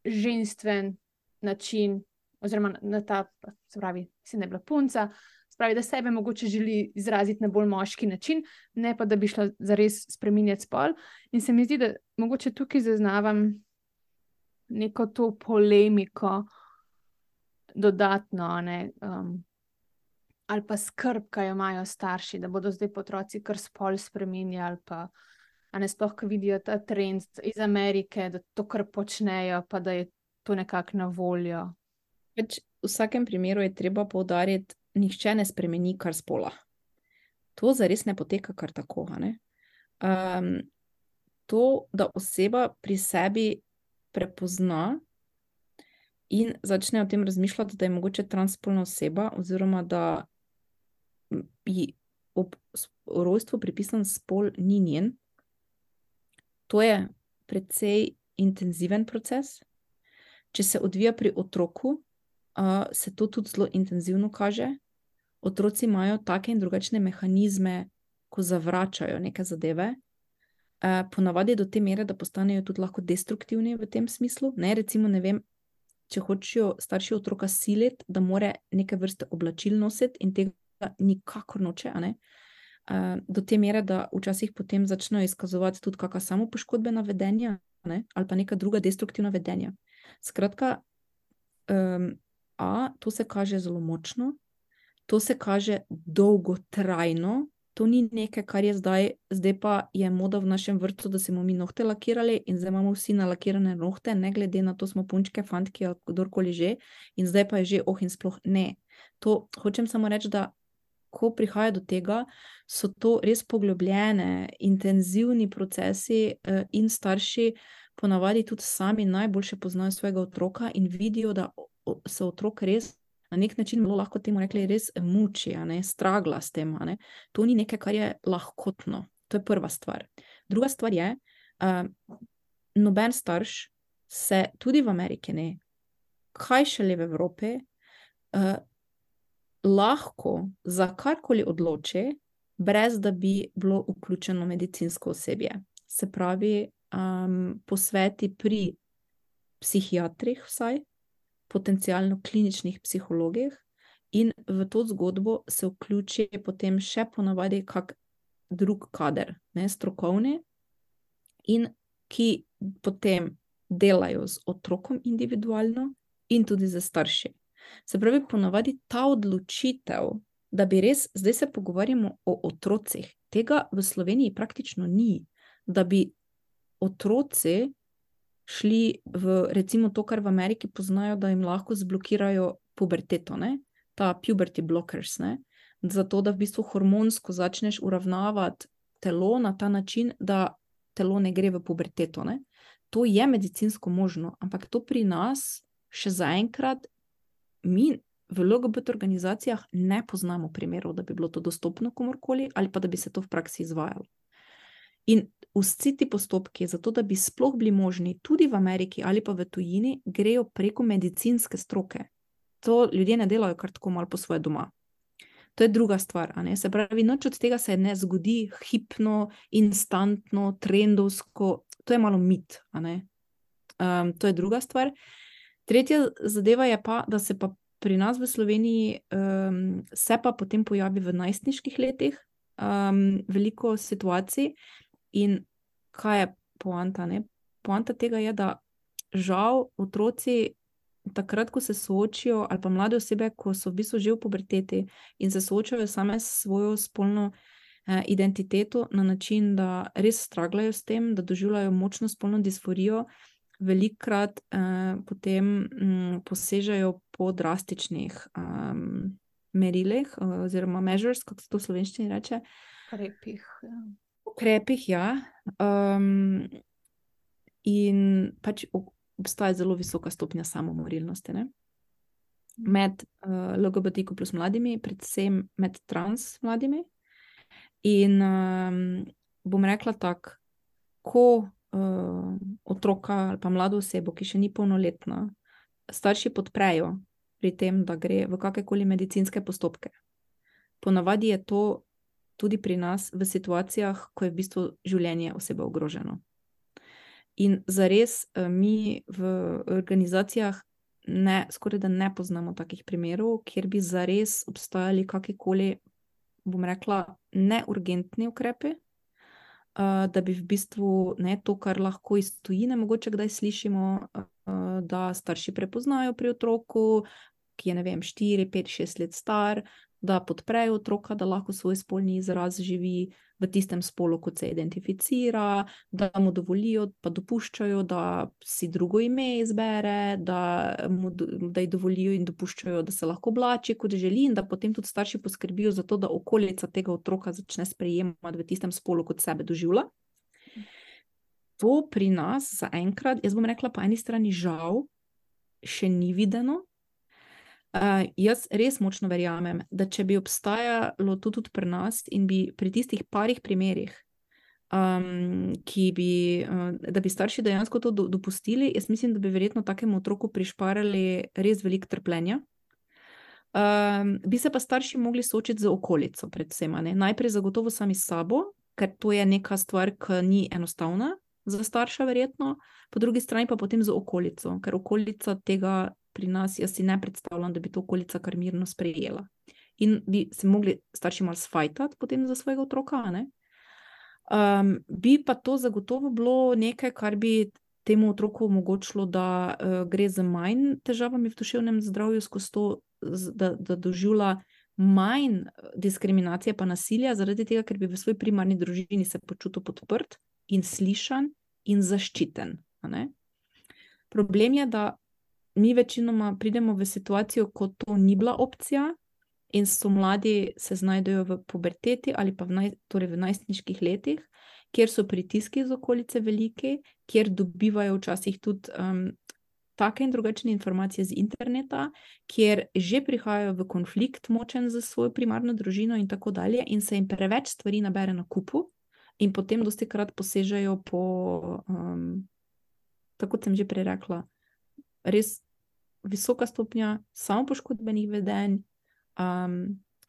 ženstven način, oziroma na ta, se pravi, mislim, da je bila punca. Pravi, da sebe mogoče želi izraziti na bolj moški način, ne pa da bi šla zares spreminjati spol. In se mi zdi, da mogoče tukaj zaznavam neko to polemiko dodatno, ne, ali pa skrb, ki jo imajo starši, da bodo zdaj otroci kar spol spreminjali, pa ne sploh, ko vidijo ta trend iz Amerike, da to kar počnejo, pa da je to nekako na voljo. V vsakem primeru je treba poudariti, nihče ne spremeni kar spola. To zares ne poteka kar tako. To, da oseba pri sebi prepozna in začne o tem razmišljati, da je mogoče transspolna oseba, oziroma da ji ob rojstvu pripisan spol ni njen, to je precej intenziven proces. Če se odvija pri otroku, se to tudi zelo intenzivno kaže. Otroci imajo take in drugačne mehanizme, ko zavračajo neke zadeve, ponavadi do te mere, da postanejo tudi lahko destruktivni v tem smislu. Recimo, ne vem, če hočejo starši otroka siliti, da more neke vrste oblačil nositi in tega nikakor noče, do te mere, da včasih potem začnejo izkazovati tudi kakšna samopoškodbena vedenja, ali pa neka druga destruktivna vedenja. Skratka, to se kaže zelo močno, to se kaže dolgotrajno, to ni nekaj, kar je zdaj pa je moda v našem vrtcu, da se bomo mi nohte lakirali in zdaj imamo vsi nalakirane nohte, ne glede na to, smo punčke, fantki ali kdorkoli že, in zdaj pa je že in sploh ne. To hočem samo reči, da ko prihaja do tega, so to res poglobljene, intenzivni procesi, in starši ponavadi tudi sami najboljše poznajo svojega otroka in vidijo, da se otrok res na nek način, lahko temu rekli, res muči, stragla s tem. To ni nekaj, kar je lahkotno. To je prva stvar. Druga stvar je, noben starš se tudi v Ameriki ne, kaj šele v Evropi, lahko za karkoli odloči, brez da bi bilo vključeno medicinsko osebje. Se pravi, posveti pri psihiatrih vsaj, potencialno kliničnih psihologih, in v to zgodbo se vključi potem še ponavadi kak drug kader, strokovni, in ki potem delajo z otrokom individualno in tudi z starši. Se pravi, ponavadi ta odločitev, da bi res, zdaj se pogovarjamo o otrocih, tega v Sloveniji praktično ni, da bi otroci šli v, recimo to, kar v Ameriki poznajo, da jim lahko zblokirajo puberteto, ta puberty blockers, zato da v bistvu hormonsko začneš uravnavati telo na ta način, da telo ne gre v puberteto. To je medicinsko možno, ampak to pri nas še zaenkrat mi v LGBT organizacijah ne poznamo primerov, da bi bilo to dostopno komorkoli ali pa da bi se to v praksi izvajalo. In vsi ti postopki, zato da bi sploh bili možni tudi v Ameriki ali pa v tujini, grejo preko medicinske stroke. To ljudje ne delajo kar tako malo po svoje doma. To je druga stvar. Se pravi, nič od tega se ne zgodi hipno, instantno, trendovsko. To je malo mit. To je druga stvar. Tretja zadeva je pa, da se pa pri nas v Sloveniji se pa potem pojavi v najstniških letih veliko situacij. In kaj je poanta? Poanta tega je, da žal otroci takrat, ko se soočijo, ali pa mlade osebe, ko so v bistvu že v puberteti in se soočajo same s svojo spolno identiteto na način, da res straglajo s tem, da doživljajo močno spolno disforijo, velikokrat potem posežejo po drastičnih merilih, oziroma measures, kako se to v slovenščini reče. Ukrepih, ja. In pač obstaja zelo visoka stopnja samomorilnosti, ne? Med LGBTQ plus mladimi, predvsem med trans mladimi. In bom rekla tako, ko otroka ali pa mlado osebo, ki še ni polnoletna, starši podprejo pri tem, da gre v kakrkoli medicinske postopke. Ponavadi je to tudi pri nas v situacijah, ko je v bistvu življenje osebe ogroženo. In zares mi v organizacijah skoraj da ne poznamo takih primerov, kjer bi zares obstajali kakrkoli, bom rekla, neurgentni ukrepi, da bi v bistvu to, kar lahko iz tujine mogoče kdaj slišimo, da starši prepoznajo pri otroku, ki je, ne vem, 4, 5, 6 let star, da podprejo otroka, da lahko svoj spolni izraz živi v tistem spolu, kot se identificira, da mu dovolijo, pa dopuščajo, da si drugo ime izbere, da ji dovolijo in dopuščajo, da se lahko oblači, kot želi, in da potem tudi starši poskrbijo za to, da okolica tega otroka začne sprejemati v tistem spolu, kot sebe doživlja. To pri nas zaenkrat, jaz bom rekla, po eni strani žal, še ni videno. Jaz res močno verjamem, da če bi obstajalo to tudi pri nas in bi pri tistih parih primerih, da bi starši dejansko to dopustili, jaz mislim, da bi verjetno takemu otroku prišparali res veliko trpljenja. Bi se pa starši mogli soočiti z okolico, predvsem, ne? Najprej zagotovo sami s sabo, ker to je neka stvar, ki ni enostavna za starša verjetno, po drugi strani pa potem z okolico, ker okolica tega pri nas, jaz si ne predstavljam, da bi to okolica kar mirno sprejela. In bi se mogli starši malo sfajtati potem za svojega otroka, ne? Bi pa to zagotovo bilo nekaj, kar bi temu otroku omogočilo, da gre z manj težavami v duševnem zdravju skozi to, da doživlja manj diskriminacije pa nasilja, zaradi tega, ker bi v svoji primarni družini se počutil podprt in slišan in zaščiten, ne? Problem je, da mi večinoma pridemo v situacijo, ko to ni bila opcija in so mladi se znajdejo v puberteti ali pa torej v najstniških letih, kjer so pritiski iz okolice veliki, kjer dobivajo včasih tudi take in drugačne informacije z interneta, kjer že prihajajo v konflikt močen z svojo primarno družino in tako dalje in se jim preveč stvari nabere na kupu in potem dostikrat posežejo po, tako kot sem že prej rekla, res visoka stopnja samopoškodbenih vedenj,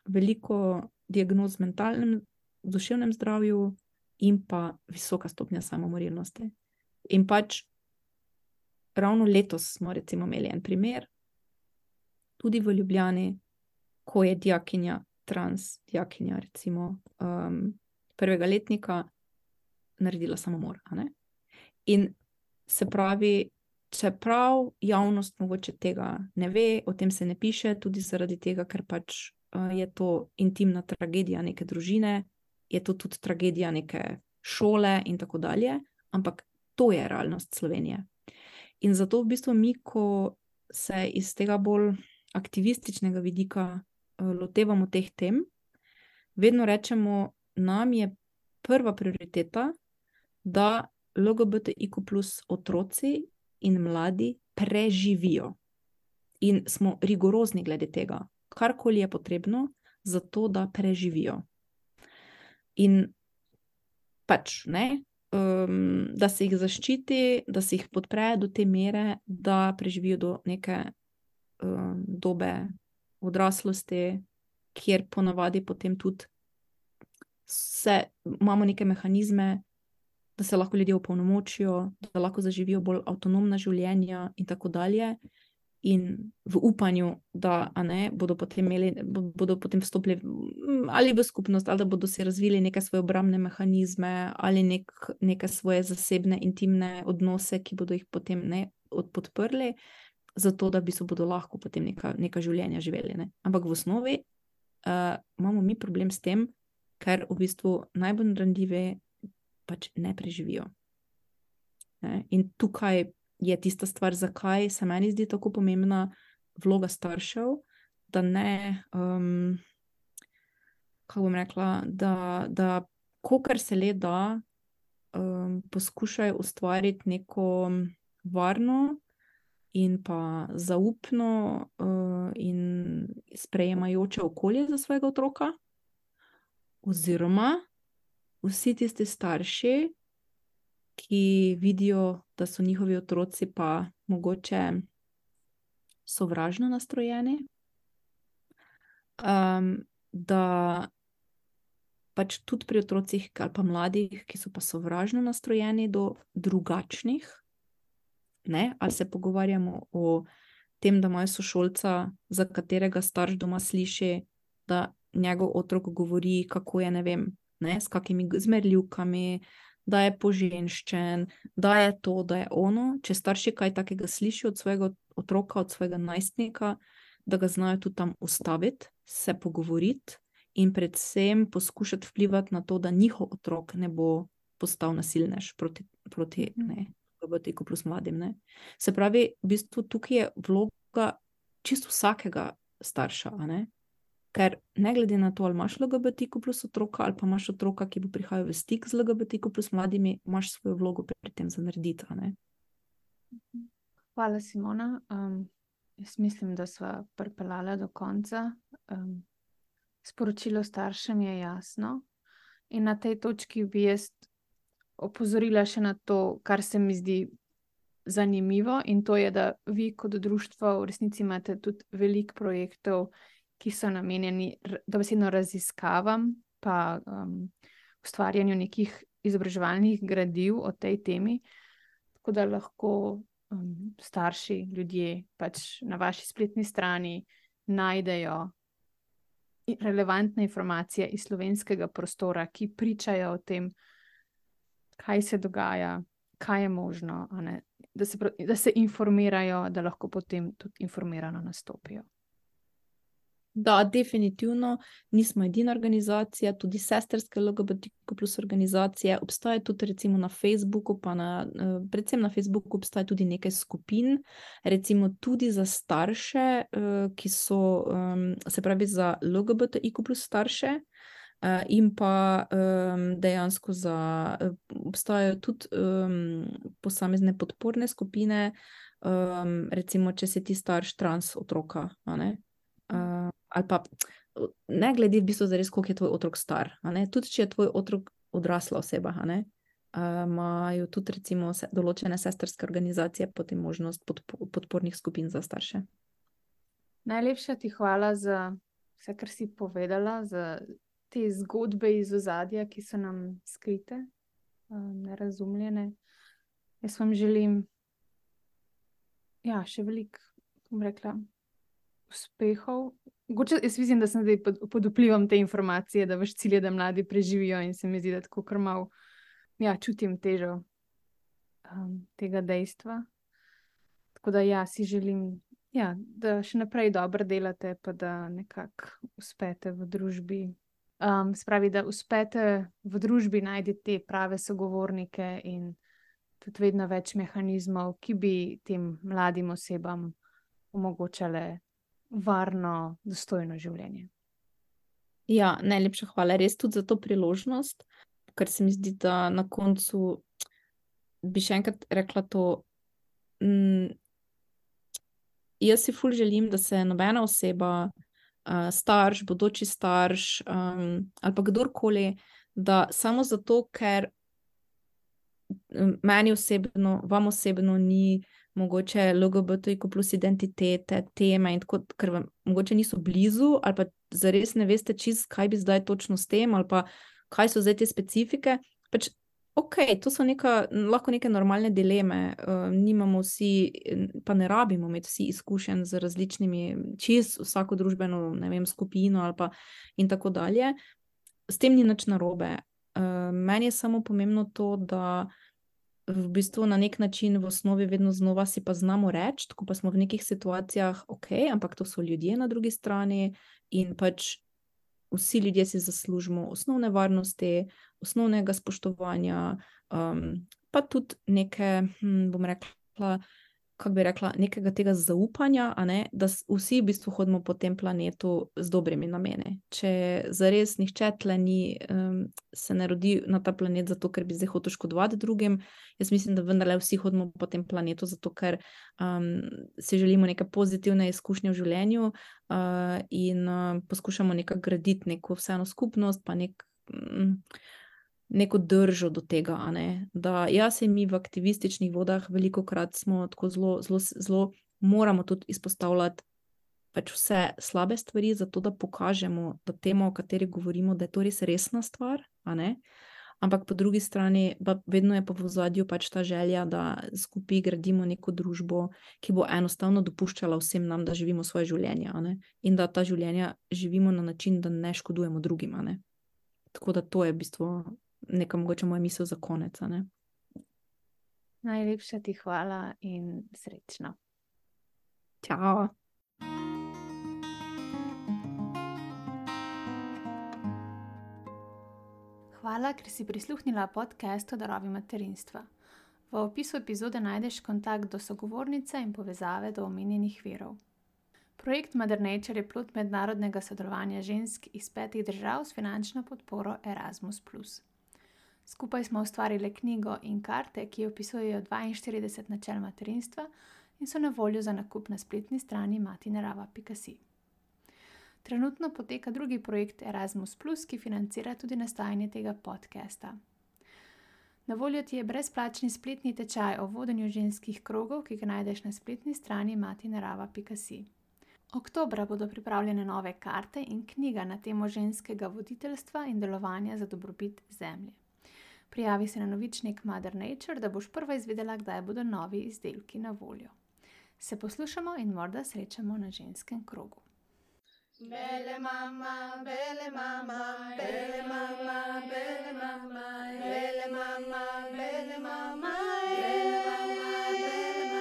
veliko diagnoz v mentalnem, duševnem zdravju in pa visoka stopnja samomorilnosti. In pač ravno letos smo recimo imeli en primer, tudi v Ljubljani, ko je dijakinja, trans dijakinja recimo prvega letnika naredila samomor, a ne? In se pravi, čeprav javnost mogoče tega ne ve, o tem se ne piše, tudi zaradi tega, ker pač je to intimna tragedija neke družine, je to tudi tragedija neke šole in tako dalje, ampak to je realnost Slovenije. In zato v bistvu mi, ko se iz tega bolj aktivističnega vidika lotevamo teh tem, vedno rečemo, nam je prva prioriteta, da LGBTIQ plus otroci in mladi preživijo. In smo rigorozni glede tega, karkoli je potrebno za to, da preživijo. In pač, ne, da se jih zaščiti, da se jih podpre do te mere, da preživijo do neke dobe odraslosti, kjer ponavadi potem tudi imamo neke mehanizme, da se lahko ljudje opolnomočijo, da lahko zaživijo bolj avtonomna življenja in tako dalje. In v upanju, da bodo potem vstopili ali v skupnost, ali da bodo se razvili neke svoje obrambne mehanizme, ali neke svoje zasebne, intimne odnose, ki bodo jih potem podprli. zato da bodo lahko potem neka življenja živeli. Ne? Ampak v osnovi imamo mi problem s tem, ker v bistvu najbolj ranljivi pač ne preživijo. Ne? In tukaj je tista stvar, zakaj se meni zdi tako pomembna vloga staršev, da ne, kako bom rekla, da kolikor se le da, poskušajo ustvariti neko varno in pa zaupno in sprejemajoče okolje za svojega otroka, oziroma vsi tisti starši, ki vidijo, da so njihovi otroci pa mogoče sovražno nastrojeni, da pač tudi pri otrocih ali pa mladih, ki so pa sovražno nastrojeni do drugačnih, ne? Ali se pogovarjamo o tem, da imajo sošolca, za katerega starš doma sliši, da njegov otrok govori, kako je, ne vem, ne, s kakimi zmerljivkami, da je poženščen, da je to, da je ono. Če starši kaj takega slišijo od svojega otroka, od svojega najstnika, da ga znajo tudi tam ustaviti, se pogovoriti in predvsem poskušati vplivati na to, da njihov otrok ne bo postal nasilnež proti LGBTQ plus mladim. Ne. Se pravi, v bistvu tukaj je vloga čisto vsakega starša, a ne? Ker ne glede na to, ali imaš LGBTQ plus otroka, ali pa imaš otroka, ki bo prihajal v stik z LGBTQ plus mladimi, imaš svojo vlogo pri tem za narediti, a ne? Hvala, Simona. Jaz mislim, da sva pripeljala do konca. Sporočilo staršem je jasno in na tej točki bi jaz opozorila še na to, kar se mi zdi zanimivo, in to je, da vi kot društvo v resnici imate tudi veliko projektov, ki so namenjeni dobesedno raziskavam pa ustvarjanju nekih izobraževalnih gradiv o tej temi, tako da lahko starši, ljudje pač na vaši spletni strani najdejo relevantne informacije iz slovenskega prostora, ki pričajo o tem, kaj se dogaja, kaj je možno, a ne? Da se informirajo, da lahko potem tudi informirano nastopijo. Da, definitivno nismo edina organizacija, tudi sestrske LGBTQ plus organizacije, obstaja tudi recimo na Facebooku, pa predvsem na Facebooku obstaja tudi nekaj skupin, recimo tudi za starše, ki so, se pravi za LGBTQ plus starše, in pa dejansko obstajajo tudi posamezne podporne skupine, recimo, če si ti starš trans otroka, a ne? Ali pa ne glede v bistvu zares, koliko je tvoj otrok star, a ne? Tudi če je tvoj otrok odrasla oseba, a ne? Imajo tudi recimo določene sestrske organizacije potem možnost podpornih skupin za starše. Najlepša ti hvala za vse, kar si povedala, za te zgodbe iz ozadja, ki so nam skrite, nerazumljene. Jaz vam želim še veliko, bom rekla, uspehov. Mogoče jaz mislim, da sem zdaj pod vplivom te informacije, da vaš cilj je, da mladi preživijo, in se mi zdi, da tako kar malo čutim težo tega dejstva. Tako da si želim, da še naprej dobro delate, pa da nekako uspete v družbi. Spravi, da uspete v družbi najti te prave sogovornike in tudi vedno več mehanizmov, ki bi tem mladim osebam omogočale varno, dostojno življenje. Ja, najlepša hvala res tudi za to priložnost, ker se mi zdi, da na koncu bi še enkrat rekla to, jaz si ful želim, da se nobena oseba, starš, bodoči starš, ali pa kdorkoli, da samo zato, ker meni osebno, vam osebno ni mogoče LGBTQ plus identitete, teme in tako, ker vam mogoče niso blizu, ali pa zares ne veste čisto, kaj bi zdaj točno s tem, ali pa kaj so zdaj te specifike. Pač, to so lahko neke normalne dileme, nimamo vsi, pa ne rabimo imeti vsi izkušenj z različnimi, čisto vsako družbeno, ne vem, skupino ali pa in tako dalje. S tem ni nič narobe. Meni je samo pomembno to, da v bistvu na nek način v osnovi vedno znova si pa znamo reči, tako pa smo v nekih situacijah, ok, ampak to so ljudje na drugi strani in pač vsi ljudje si zaslužimo osnovne varnosti, osnovnega spoštovanja, pa tudi neke, bom rekla, kako bi rekla, nekega tega zaupanja, a ne, da vsi v bistvu hodimo po tem planetu z dobrimi nameni. Če zares nihče tle ni, se ne rodi na ta planet zato, ker bi zdaj hotel škodovati drugim, jaz mislim, da vendarle vsi hodimo po tem planetu zato, ker si želimo neke pozitivne izkušnje v življenju in poskušamo nekako graditi neko vseeno skupnost, pa neko držo do tega, a ne? Da jaz in mi v aktivističnih vodah velikokrat smo tako zelo moramo tudi izpostavljati pač vse slabe stvari, zato da pokažemo, da tema, o kateri govorimo, da je to res resna stvar, a ne? Ampak po drugi strani vedno je pa v ozadju pač ta želja, da skupaj gradimo neko družbo, ki bo enostavno dopuščala vsem nam, da živimo svoje življenje, a ne? In da ta življenja živimo na način, da ne škodujemo drugim, a ne? Tako da to je v bistvu neka mogoče moja misel za konec, a ne? Najlepša ti hvala in srečno. Čau! Hvala, ker si prisluhnila podcastu Darovi materinstva. V opisu epizode najdeš kontakt do sogovornice in povezave do omenjenih virov. Projekt Mother Nature je plod mednarodnega sodelovanja žensk iz 5 držav s finančno podporo Erasmus+. Skupaj smo ustvarili knjigo in karte, ki opisujejo 42 načel materinstva in so na voljo za nakup na spletni strani matinerava.si. Trenutno poteka drugi projekt Erasmus+, ki financira tudi nastajanje tega podcasta. Na voljo ti je brezplačni spletni tečaj o vodenju ženskih krogov, ki ga najdeš na spletni strani matinerava.si. Oktobra bodo pripravljene nove karte in knjiga na temo ženskega voditeljstva in delovanja za dobrobit zemlje. Prijavi se na novičnik Mother Nature, da boš prva izvedela, kdaj bodo novi izdelki na voljo. Se poslušamo in morda srečamo na ženskem krogu. Bele mama, bele mama, bele mama, bele mama, bele mama, bele mama, bele mama, bele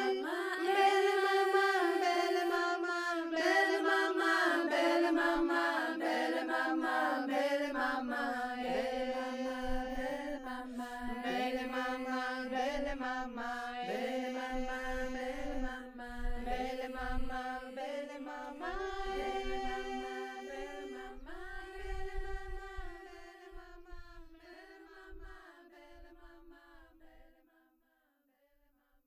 mama, bele mama, bele mama, bele mama, bele mama, bele mama, bele mama, bele mama, bele mama, bele mama, bele mama, bele mama, bele mama.